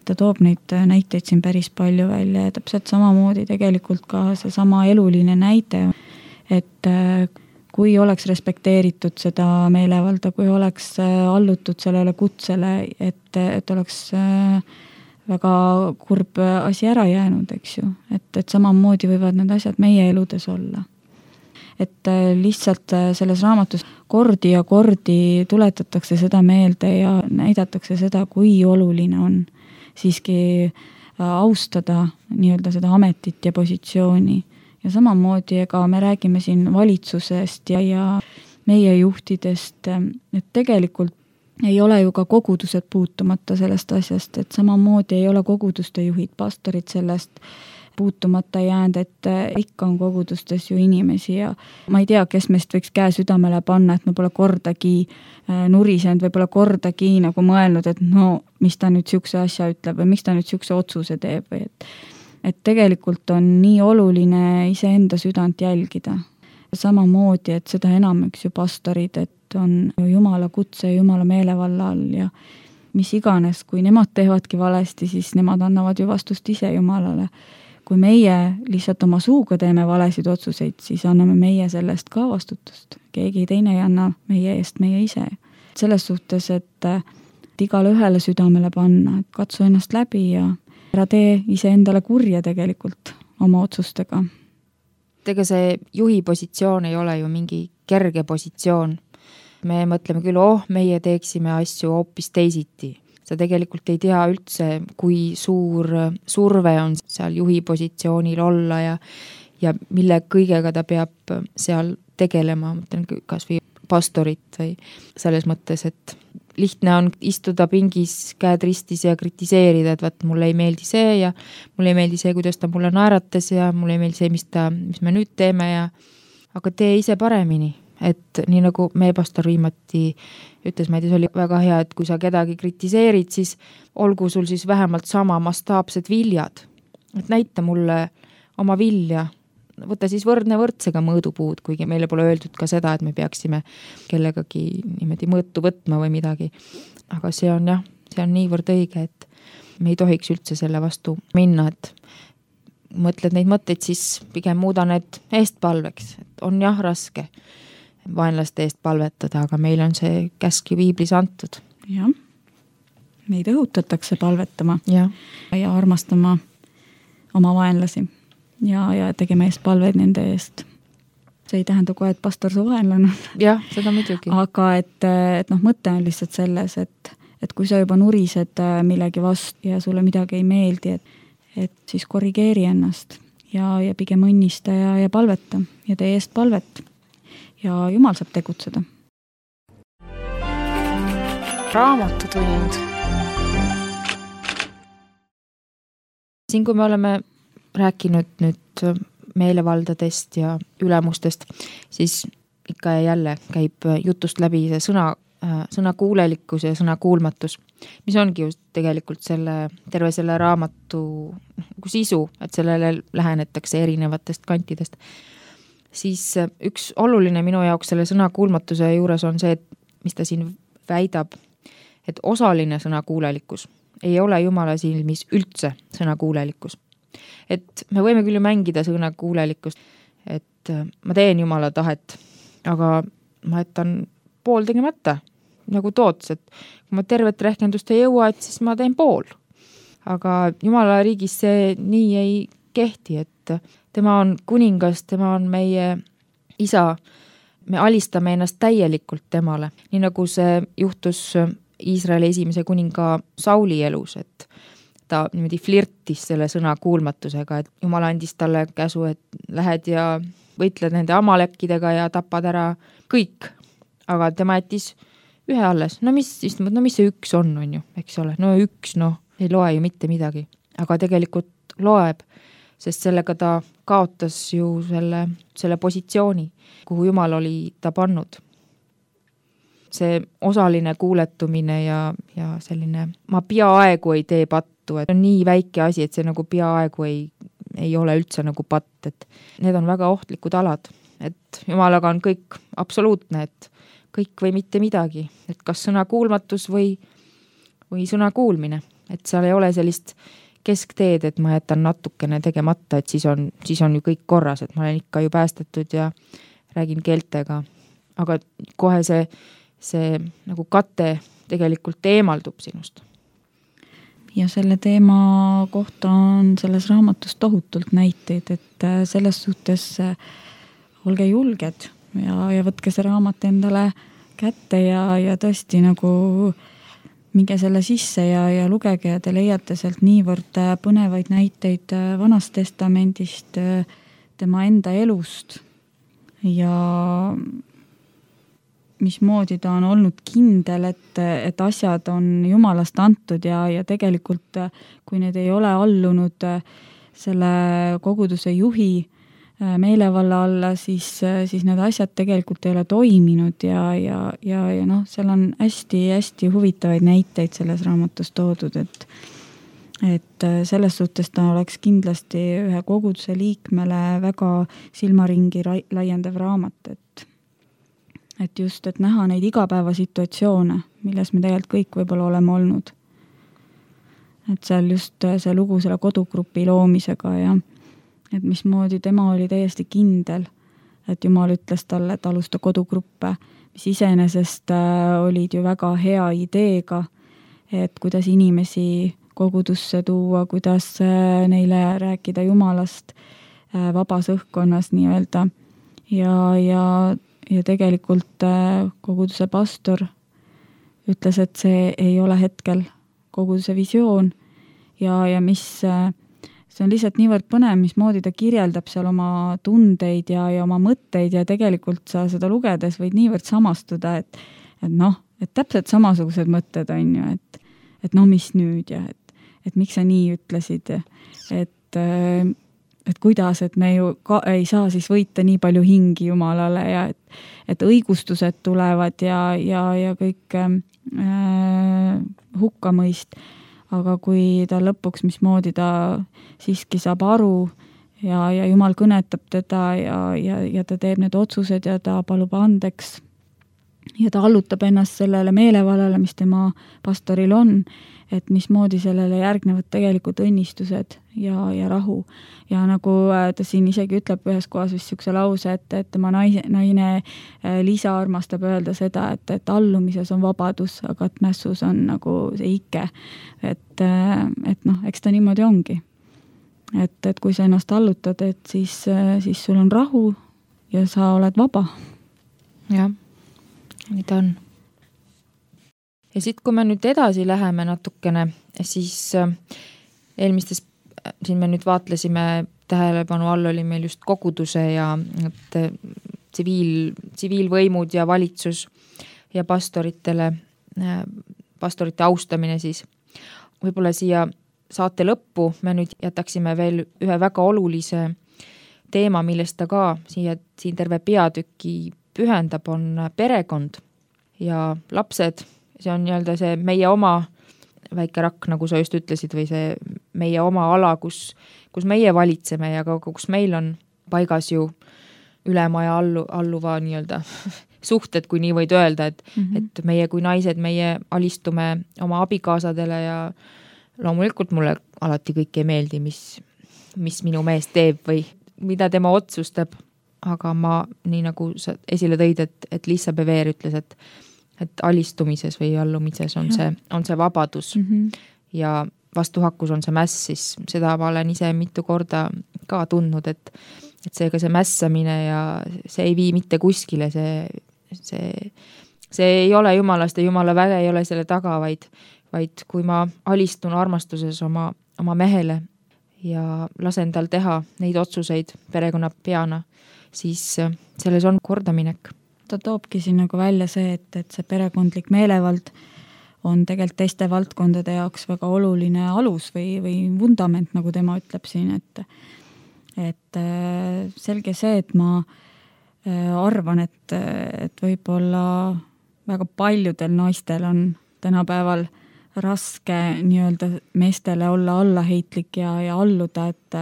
Ta toob neid näiteid siin päris palju välja ja täpselt samamoodi tegelikult ka see sama eluline näide, et kui oleks respekteeritud seda meelevalda, kui oleks allutud sellele kutsele, et oleks väga kurb asi ära jäänud, eks ju, et samamoodi võivad need asjad meie eludes olla. Et lihtsalt selles raamatus kordi ja kordi tuletatakse seda meelde ja näidatakse seda, kui oluline on siiski austada nii-öelda seda ametit ja positsiooni. Ja samamoodi, ega me räägime siin valitsusest ja meie juhtidest, et tegelikult ei ole ju ka kogudused puutumata sellest asjast, et samamoodi ei ole koguduste juhid, pastorid sellest puutumata jäänud, et ikka on kogudustes ju inimesi ja ma ei tea, kes meist võiks käe südamele panna, et me pole kordagi nurisenud või pole kordagi nagu mõelnud, et no, mis ta nüüd siukse asja ütleb või miks ta nüüd siukse otsuse teeb või et tegelikult on nii oluline iseenda südant jälgida. Samamoodi, et seda enam üks ju pastorid, et on Jumala kutse ja Jumala meelevalla all ja mis iganes, kui nemad teevadki valesti, siis nemad annavad ju vastust ise Jumalale. Kui meie lihtsalt oma suuga teeme valesid otsuseid, siis anname meie sellest ka vastutust. Keegi teine ei anna meie eest, meie ise. Selles suhtes, et igale ühele südamele panna, et katsu ennast läbi ja ära tee ise endale kurja tegelikult oma otsustega. Ega see juhi positsioon ei ole ju mingi kerge positsioon. Me mõtleme küll, meie teeksime asju hoopis teisiti. Sa tegelikult ei tea üldse, kui suur surve on seal juhi positsioonil olla ja mille kõigega ta peab seal tegelema, mõtlen kas või pastorit või selles mõttes, et lihtne on istuda pingis, käed ristis ja kritiseerida, et vaat mulle ei meeldi see ja mulle ei meeldi see, kuidas ta mulle naeratas ja mulle ei meeldi see, mis me nüüd teeme aga tee ise paremini. Et nii nagu meie pastor viimati ütles, ma ei tea, see oli väga hea, et kui sa kedagi kritiseerid, siis olgu sul siis vähemalt sama mastaapsed viljad. Et näita mulle oma vilja, võta siis võrdne võrdsega mõõdupuud, kuigi meile pole öeldud ka seda, et me peaksime kellegagi niimoodi mõõtu võtma või midagi. Aga see on niivõrd õige, et me ei tohiks üldse selle vastu minna, et mõtled neid mõtteid, siis pigem muuda need eestpalveks, et on raske vaenlaste eest palvetada, aga meil on see käsk ju viiblis antud. Jah, meid õhutatakse palvetama ja armastama oma vaenlasi ja tegema eest palveid nende eest. See ei tähenda kohe, et pastor su vaenlane. Jah, seda muidugi. Aga et mõte on lihtsalt selles, et kui sa juba nurised millegi vastu ja sulle midagi ei meeldi, et siis korrigeeri ennast ja pigem õnnista ja palveta ja tee eest palvet. Ja Jumal saab tegutseda. Raamatutund. Siin, kui me oleme rääkinud nüüd meelevaldadest ja ülemustest, siis ikka ja jälle käib jutust läbi see sõna kuulelikkus ja sõna kuulmatus, mis ongi just tegelikult terve selle raamatu sisu, et sellele lähenetakse erinevatest kantidest. Siis üks oluline minu jaoks selle sõna kuulmatuse juures on see, et mis ta siin väidab, et osaline sõna kuulelikkus ei ole Jumala silmis üldse sõna kuulelikkus. Et me võime küll mängida sõna kuulelikkust, et ma teen Jumala tahet, aga ma jätan pool tegemata, nagu toots, et kui ma tervet rehkendust ei jõua, et siis ma teen pool. Aga Jumala riigis see nii ei kehti, et tema on kuningas, tema on meie isa, me alistame ennast täielikult temale, nii nagu see juhtus Iisraeli esimese kuninga Sauli elus, et ta niimoodi flirtis selle sõna kuulmatusega, et Jumal andis talle käsu, et lähed ja võitled nende amalekkidega ja tapad ära kõik, aga tema jättis ühe alles, no mis see üks on ju, eks ole, no üks, ei loe ju mitte midagi, aga tegelikult loeb, sest sellega ta kaotas ju selle positsiooni, kuhu Jumal oli ta pannud. See osaline kuuletumine ja selline, ma peaaegu ei tee pattu, et on nii väike asi, et see nagu peaaegu ei ole üldse nagu patt, et need on väga ohtlikud alad, et Jumalaga on kõik absoluutne, et kõik või mitte midagi, et kas sõna kuulmatus või sõna kuulmine, et seal ei ole sellist keskteed, et ma jätan natukene tegemata, et siis on ju kõik korras, et ma olen ikka ju päästetud ja räägin keeltega, aga kohe see nagu kate tegelikult eemaldub sinust. ja selle teema kohta on selles raamatus tohutult näiteid, et selles suhtes olge julged ja võtke see raamat endale kätte ja tõesti nagu minge selle sisse ja lugege ja te leiate sealt niivõrd põnevaid näiteid Vanast Testamendist, tema enda elust ja mismoodi ta on olnud kindel, et asjad on Jumalast antud ja tegelikult, kui need ei ole allunud selle koguduse juhi meelevalla alla, siis need asjad tegelikult ei ole toiminud ja noh, seal on hästi huvitavaid näiteid selles raamatus toodud, et selles suhtes ta oleks kindlasti ühe koguduse liikmele väga silmaringi laiendav raamat, et just, et näha neid igapäevasituatsioone, milles me tegelikult kõik võib-olla oleme olnud. Et seal just see lugu selle kodugrupi loomisega ja et mismoodi tema oli täiesti kindel, et Jumal ütles talle, et alusta kodugruppe, mis iseenesest olid ju väga hea ideega, et kuidas inimesi kogudusse tuua, kuidas neile rääkida Jumalast vabas õhkkonnas nii-öelda ja tegelikult koguduse pastor ütles, et see ei ole hetkel koguduse visioon ja mis see on lihtsalt niivõrd põnev, mismoodi ta kirjeldab seal oma tundeid ja oma mõtteid ja tegelikult sa seda lugedes võid niivõrd samastuda, et noh, et täpselt samasugused mõtted on ju, et no mis nüüd ja et miks sa nii ütlesid, et kuidas, et me ju ei saa siis võita nii palju hingi Jumalale ja et õigustused tulevad ja kõik hukkamõist, aga kui ta lõpuks, mismoodi ta siiski saab aru ja Jumal kõnetab teda ja ta teeb need otsused ja ta palub andeks ja ta allutab ennast sellele meelevallale, mis tema pastoril on, et mismoodi sellele järgnevad tegelikult õnnistused ja rahu. Ja nagu ta siin isegi ütleb ühes kohas vist niisuguse lause, et tema naine Liisa armastab öelda seda, et allumises on vabadus, aga et mässus on nagu see ike. Et noh, eks ta niimoodi ongi. Et kui sa ennast allutad, et siis sul on rahu ja sa oled vaba. Jah, nii ta on. Ja siit, kui me nüüd edasi läheme natukene, siis eelmistes, siin me nüüd vaatlesime, tähelepanu all oli meil just koguduse ja tsiviilvõimud ja valitsus ja pastorite austamine siis. Võib-olla siia saate lõppu me nüüd jätaksime veel ühe väga olulise teema, millest ta ka siin terve peatüki pühendab, on perekond ja lapsed. See on nii-öelda see meie oma väike rakk, nagu sa just ütlesid, või see meie oma ala, kus meie valitseme ja kus meil on paigas ju ülemaja alluva nii-öelda suhted, kui nii võid öelda, et meie kui naised, meie alistume oma abikaasadele ja loomulikult mulle alati kõik ei meeldi, mis minu mees teeb või mida tema otsustab, aga ma, nii nagu sa esile tõid, et Liisa Beveer ütles, et alistumises või allumises on see vabadus ja vastuhakkus on see mäss, siis seda ma olen ise mitu korda ka tundnud, et seega see mässamine ja see ei vii mitte kuskile, see ei ole Jumalast ja Jumala väge ei ole selle taga, vaid kui ma alistun armastuses oma mehele ja lasen tal teha neid otsuseid perekonna peana, siis selles on kordaminek. Ta toobki siin nagu välja see, et see perekondlik meelevald on tegelikult teiste valdkondade jaoks väga oluline alus või vundament, nagu tema ütleb siin, et selge see, et ma arvan, et võib-olla väga paljudel naistel on tänapäeval raske nii-öelda meestele olla allaheitlik ja alluda, et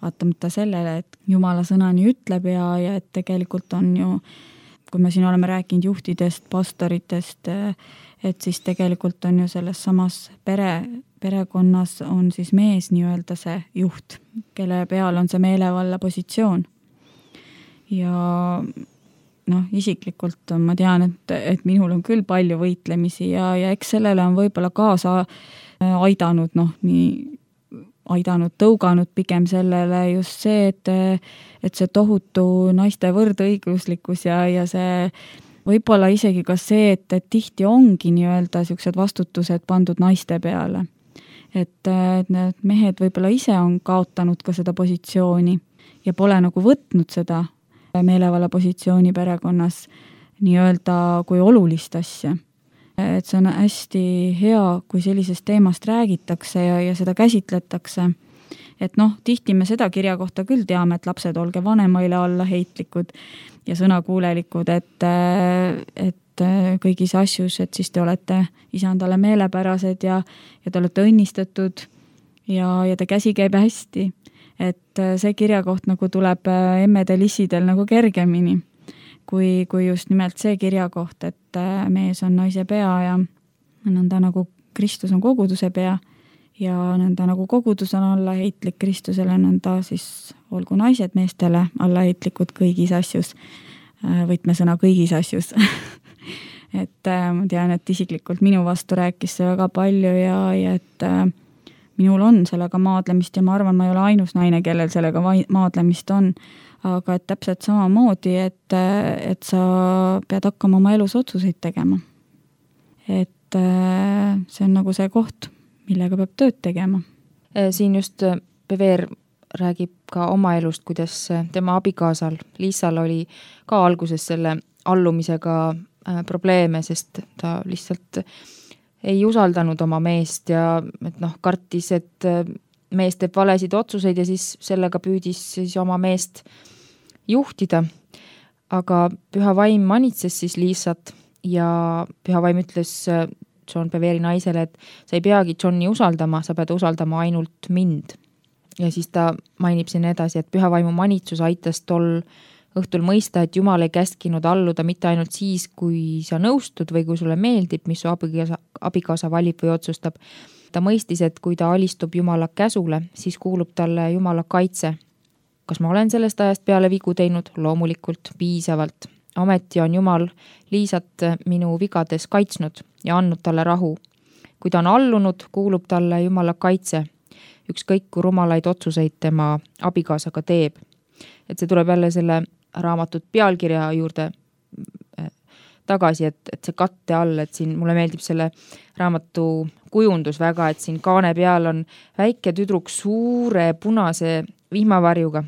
vaatamata sellele, et Jumala sõna nii ütleb ja et tegelikult on ju, kui me siin oleme rääkinud juhtidest, pastoritest, et siis tegelikult on ju selles samas perekonnas on siis mees nii-öelda see juht, kelle peal on see meelevalla positsioon. Ja isiklikult ma tean, et minul on küll palju võitlemisi ja eks sellele on võib-olla kaasa aidanud, tõuganud pigem sellele just see, et see tohutu naiste võrdõiguslikkus ja see võib-olla isegi ka see, et tihti ongi nii-öelda niisugused vastutused pandud naiste peale. Et need mehed võib-olla ise on kaotanud ka seda positsiooni ja pole nagu võtnud seda meelevalla positsiooni perekonnas nii-öelda kui olulist asja. Et see on hästi hea, kui sellisest teemast räägitakse ja seda käsitletakse. Et tihti me seda kirja kohta küll teame, et lapsed olge vanemaile allaheitlikud ja sõnakuulelikud, et kõigis asjus, et siis te olete isandale meelepärased ja te olete õnnistatud ja te käsi käib hästi. Et see kirjakoht nagu tuleb emmedel issidel nagu kergemini, kui just nimelt see kirjakoht, et mees on naise pea ja nõnda nagu Kristus on koguduse pea ja nõnda nagu kogudus on allaheitlik Kristusele, nõnda siis olgu naised meestele allaheitlikud kõigis asjus, võtmesõna kõigis asjus. Et ma tean, et isiklikult minu vastu rääkis see väga palju ja et minul on sellega maadlemist ja ma arvan, ma ei ole ainus naine, kellel sellega maadlemist on, aga et täpselt samamoodi, et sa pead hakkama oma elus otsuseid tegema. Et see on nagu see koht, millega peab tööd tegema. Siin just Peveer räägib ka oma elust, kuidas tema abikaasal Liisal oli ka alguses selle allumisega probleeme, sest ta lihtsalt ei usaldanud oma meest ja kartis, et mees teeb valesid otsuseid ja siis sellega püüdis siis oma meest juhtida. Aga Püha Vaim manitses siis Liisat ja Püha Vaim ütles John Peveeri naisele, et sa ei peagi Johni usaldama, sa pead usaldama ainult mind. Ja siis ta mainib siin edasi, et Püha Vaimu manitsus aitas tol õhtul mõista, et Jumal ei käskinud alluda mitte ainult siis, kui sa nõustud või kui sulle meeldib, mis su abikaasa valib või otsustab. Ta mõistis, et kui ta alistub Jumala käsule, siis kuulub talle Jumala kaitse. Kas ma olen sellest ajast peale vigu teinud? Loomulikult, piisavalt. Ometi on Jumal Liisat minu vigades kaitsnud ja andnud talle rahu. Kui ta on allunud, kuulub talle Jumala kaitse. Ükskõik kui rumalaid otsuseid tema abikaasaga teeb. Et see tuleb jälle selle raamatut pealkirja juurde tagasi, et see katte all, et siin mulle meeldib selle raamatu kujundus väga, et siin kaane peal on väike tüdruk suure punase vihmavarjuga.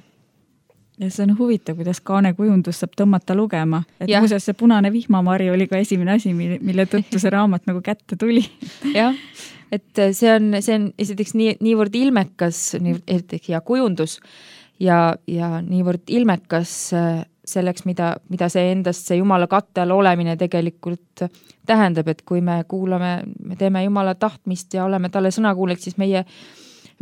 Ja see on huvitav, kuidas kaane kujundus saab tõmmata lugema. Et muuseas see punane vihmavarju oli ka esimene asi, mille tõttu see raamat nagu kätte tuli. Jah, et see on esiteks niivõrd ilmekas ja kujundus ja niivõrd ilmekas selleks, mida see endast see Jumala katte all olemine tegelikult tähendab, et kui me kuulame, me teeme Jumala tahtmist ja oleme talle sõnakuuleks, siis meie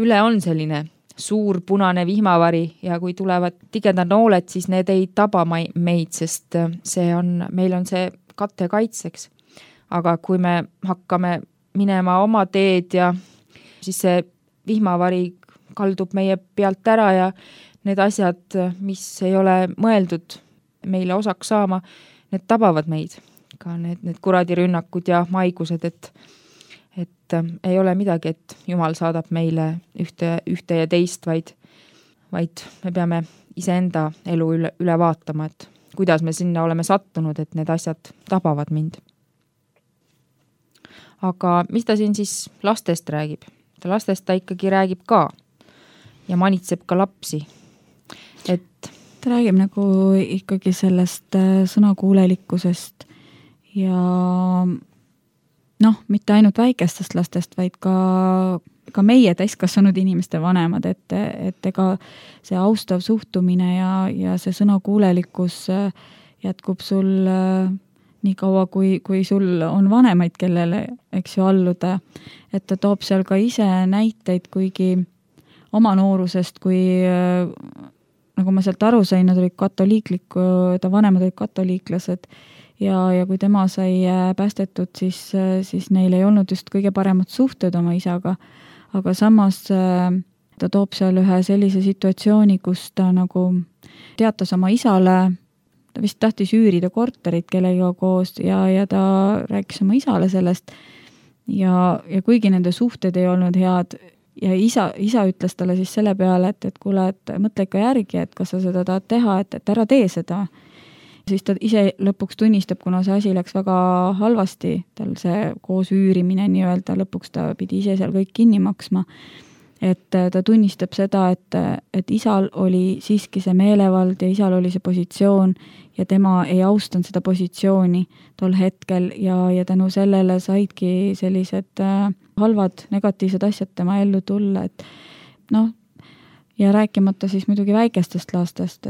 üle on selline suur punane vihmavari ja kui tulevad tigedad nooled, siis need ei taba meid, sest meil on see katte kaitseks. Aga kui me hakkame minema oma teed ja siis see vihmavari kaldub meie pealt ära ja need asjad, mis ei ole mõeldud meile osaks saama, need tabavad meid. Ka need kuradirünnakud ja maigused, et ei ole midagi, et Jumal saadab meile ühte ja teist, vaid me peame iseenda elu üle vaatama, et kuidas me sinna oleme sattunud, et need asjad tabavad mind. Aga mis ta siin siis lastest räägib? Lastest ta ikkagi räägib ka ja manitseb ka lapsi. Ta räägib nagu ikkagi sellest sõnakuulelikkusest ja mitte ainult väikestest lastest, vaid ka meie täiskasvanud inimeste vanemad, et ega see austav suhtumine ja see sõnakuulelikkus jätkub sul nii kaua, kui sul on vanemaid, kellele, eks ju, alluda, et ta toob seal ka ise näiteid, kuigi oma noorusest, kui nagu ma sealt aru sain, nad olid ta vanemad olid katoliiklased ja kui tema sai päästetud, siis neil ei olnud just kõige paremad suhted oma isaga, aga samas ta toob seal ühe sellise situatsiooni, kus ta nagu teatas oma isale ta vist tahtis üürida korterit kellega koos ja ta rääkis oma isale sellest ja kuigi nende suhted ei olnud head ja isa ütles talle siis selle peale, et kuule, et mõtle ikka järgi, et kas sa seda tahad teha, et ära tee seda. Siis ta ise lõpuks tunnistab, kuna see asi läks väga halvasti, tal see koos üürimine nii-öelda, lõpuks ta pidi ise seal kõik kinni maksma, et ta tunnistab seda, et isal oli siiski see meelevald ja isal oli see positsioon ja tema ei austanud seda positsiooni tol hetkel ja tänu sellele saidki sellised halvad, negatiivsed asjad tema ellu tulla, et noh, ja rääkimata siis muidugi väikestest lastest,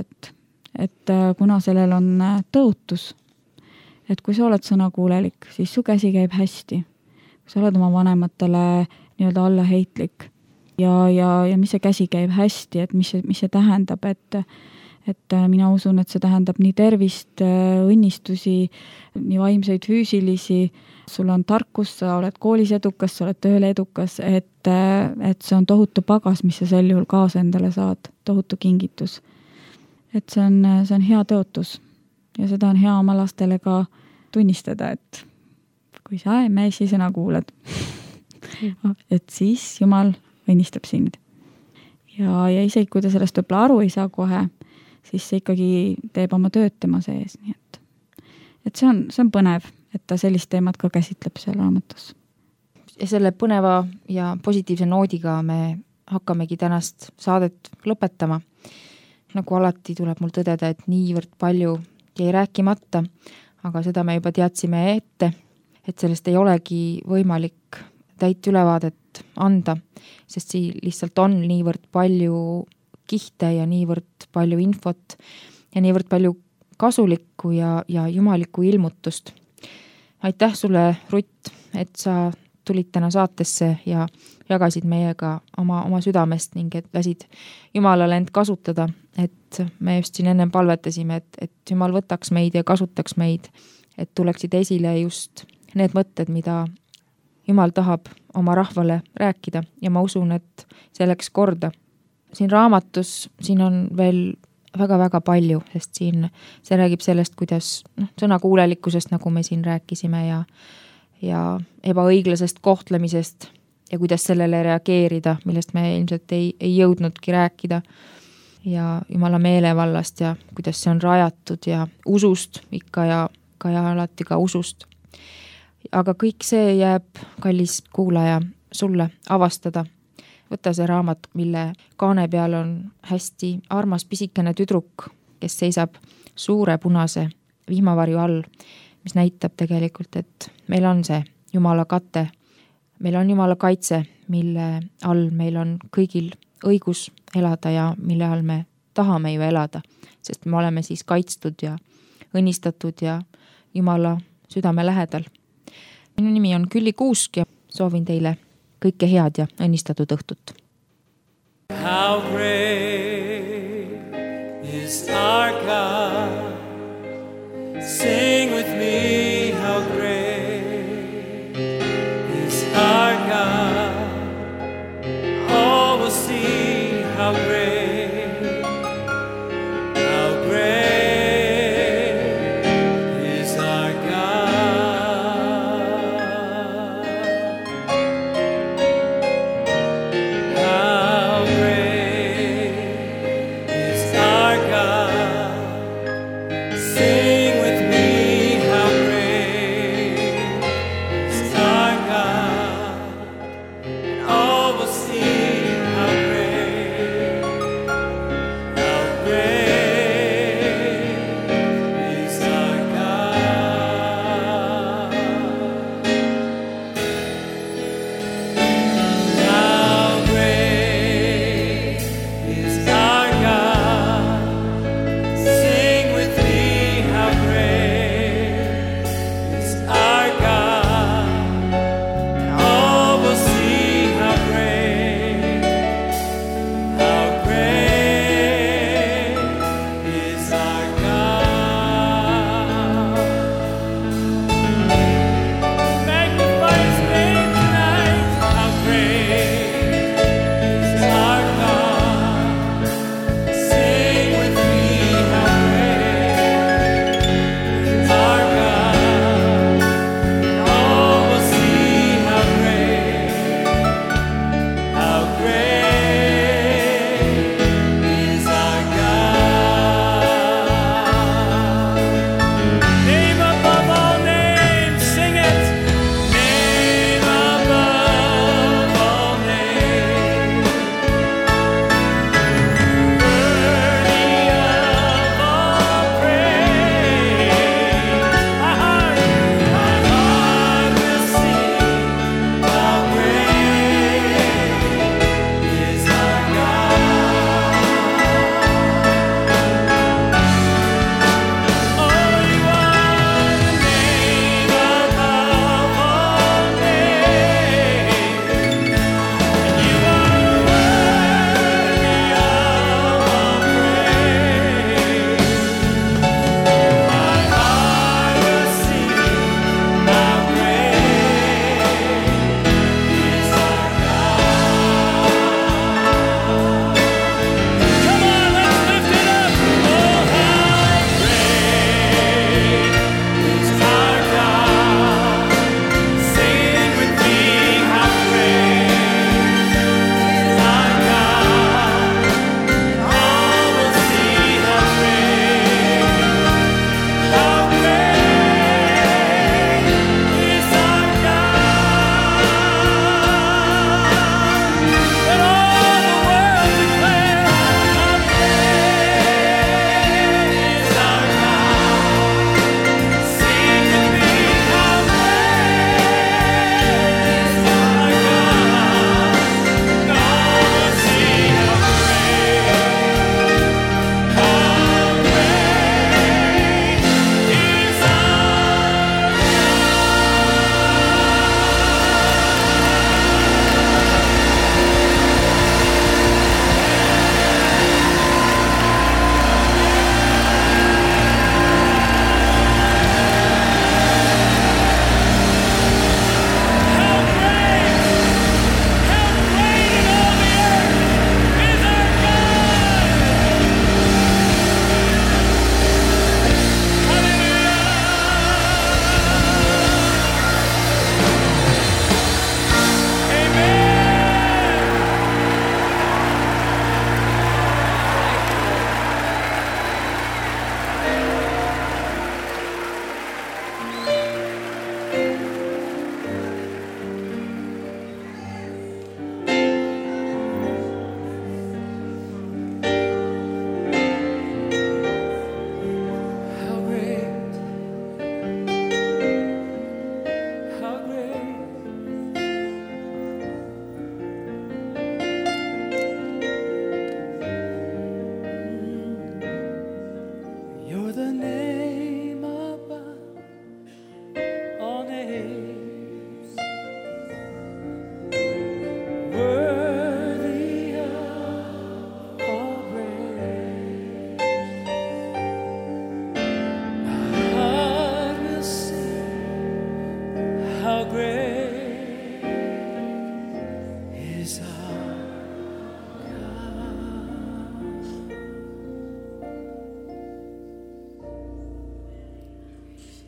et kuna sellel on tõotus, et kui sa oled sõnakuulelik, siis su käsi käib hästi. Kui sa oled oma vanematele nii-öelda allaheitlik ja mis see käsi käib hästi, et mis see tähendab, et mina usun, et see tähendab nii tervist, õnnistusi, nii vaimseid, füüsilisi, sul on tarkus, sa oled koolis edukas, sa oled tööl edukas, et see on tohutu pagas, mis sa sel juhul kaasa endale saad, tohutu kingitus. Et see on hea tõotus ja seda on hea oma lastele ka tunnistada, et kui sa meesi sõna kuulad, et siis Jumal õnnistab sind. Ja isegi kui ta sellest võib-olla aru ei saa kohe, siis see ikkagi teeb oma tööd tema sees. Nii et see on põnev, et ta sellist teemat ka käsitleb seal raamatus. Ja selle põneva ja positiivse noodiga me hakkamegi tänast saadet lõpetama. Nagu alati tuleb mul tõdeda, et niivõrd palju jäi rääkimata, aga seda me juba teadsime ette, et sellest ei olegi võimalik täit ülevaadet anda, sest siin lihtsalt on niivõrd palju kihte ja niivõrd palju infot ja niivõrd palju kasulikku ja jumalikku ilmutust. Aitäh sulle, Rutt, et sa tulid täna saatesse ja jagasid meiega oma südamest ning et lasid Jumalale end kasutada, et me just siin ennem palvetasime, et Jumal võtaks meid ja kasutaks meid, et tuleksid esile just need mõtted, mida Jumal tahab oma rahvale rääkida ja ma usun, et see läks korda. Siin raamatus, siin on veel väga-väga palju, sest siin see räägib sellest, kuidas sõnakuulelikkusest, nagu me siin rääkisime ja ebaõiglasest kohtlemisest ja kuidas sellele reageerida, millest me ilmselt ei jõudnudki rääkida ja Jumala meelevallast ja kuidas see on rajatud ja usust ikka ja alati ka usust. Aga kõik see jääb, kallis kuulaja, sulle avastada. Võta see raamat, mille kaane peal on hästi armas pisikene tüdruk, kes seisab suure punase vihmavarju all, mis näitab tegelikult, et meil on see Jumala kate, meil on Jumala kaitse, mille all meil on kõigil õigus elada ja mille all me tahame ju elada, sest me oleme siis kaitstud ja õnnistatud ja Jumala südame lähedal. Minu nimi on Külli Kuusk ja soovin teile kõike head ja õnnistatud õhtut. How great is our God. Sing with me, how great is our God. All will see how great is our God. How great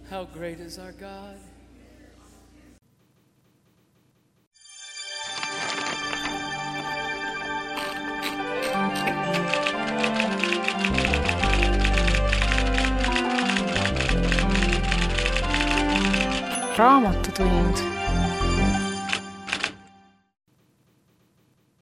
How great is our God? Raamatutund.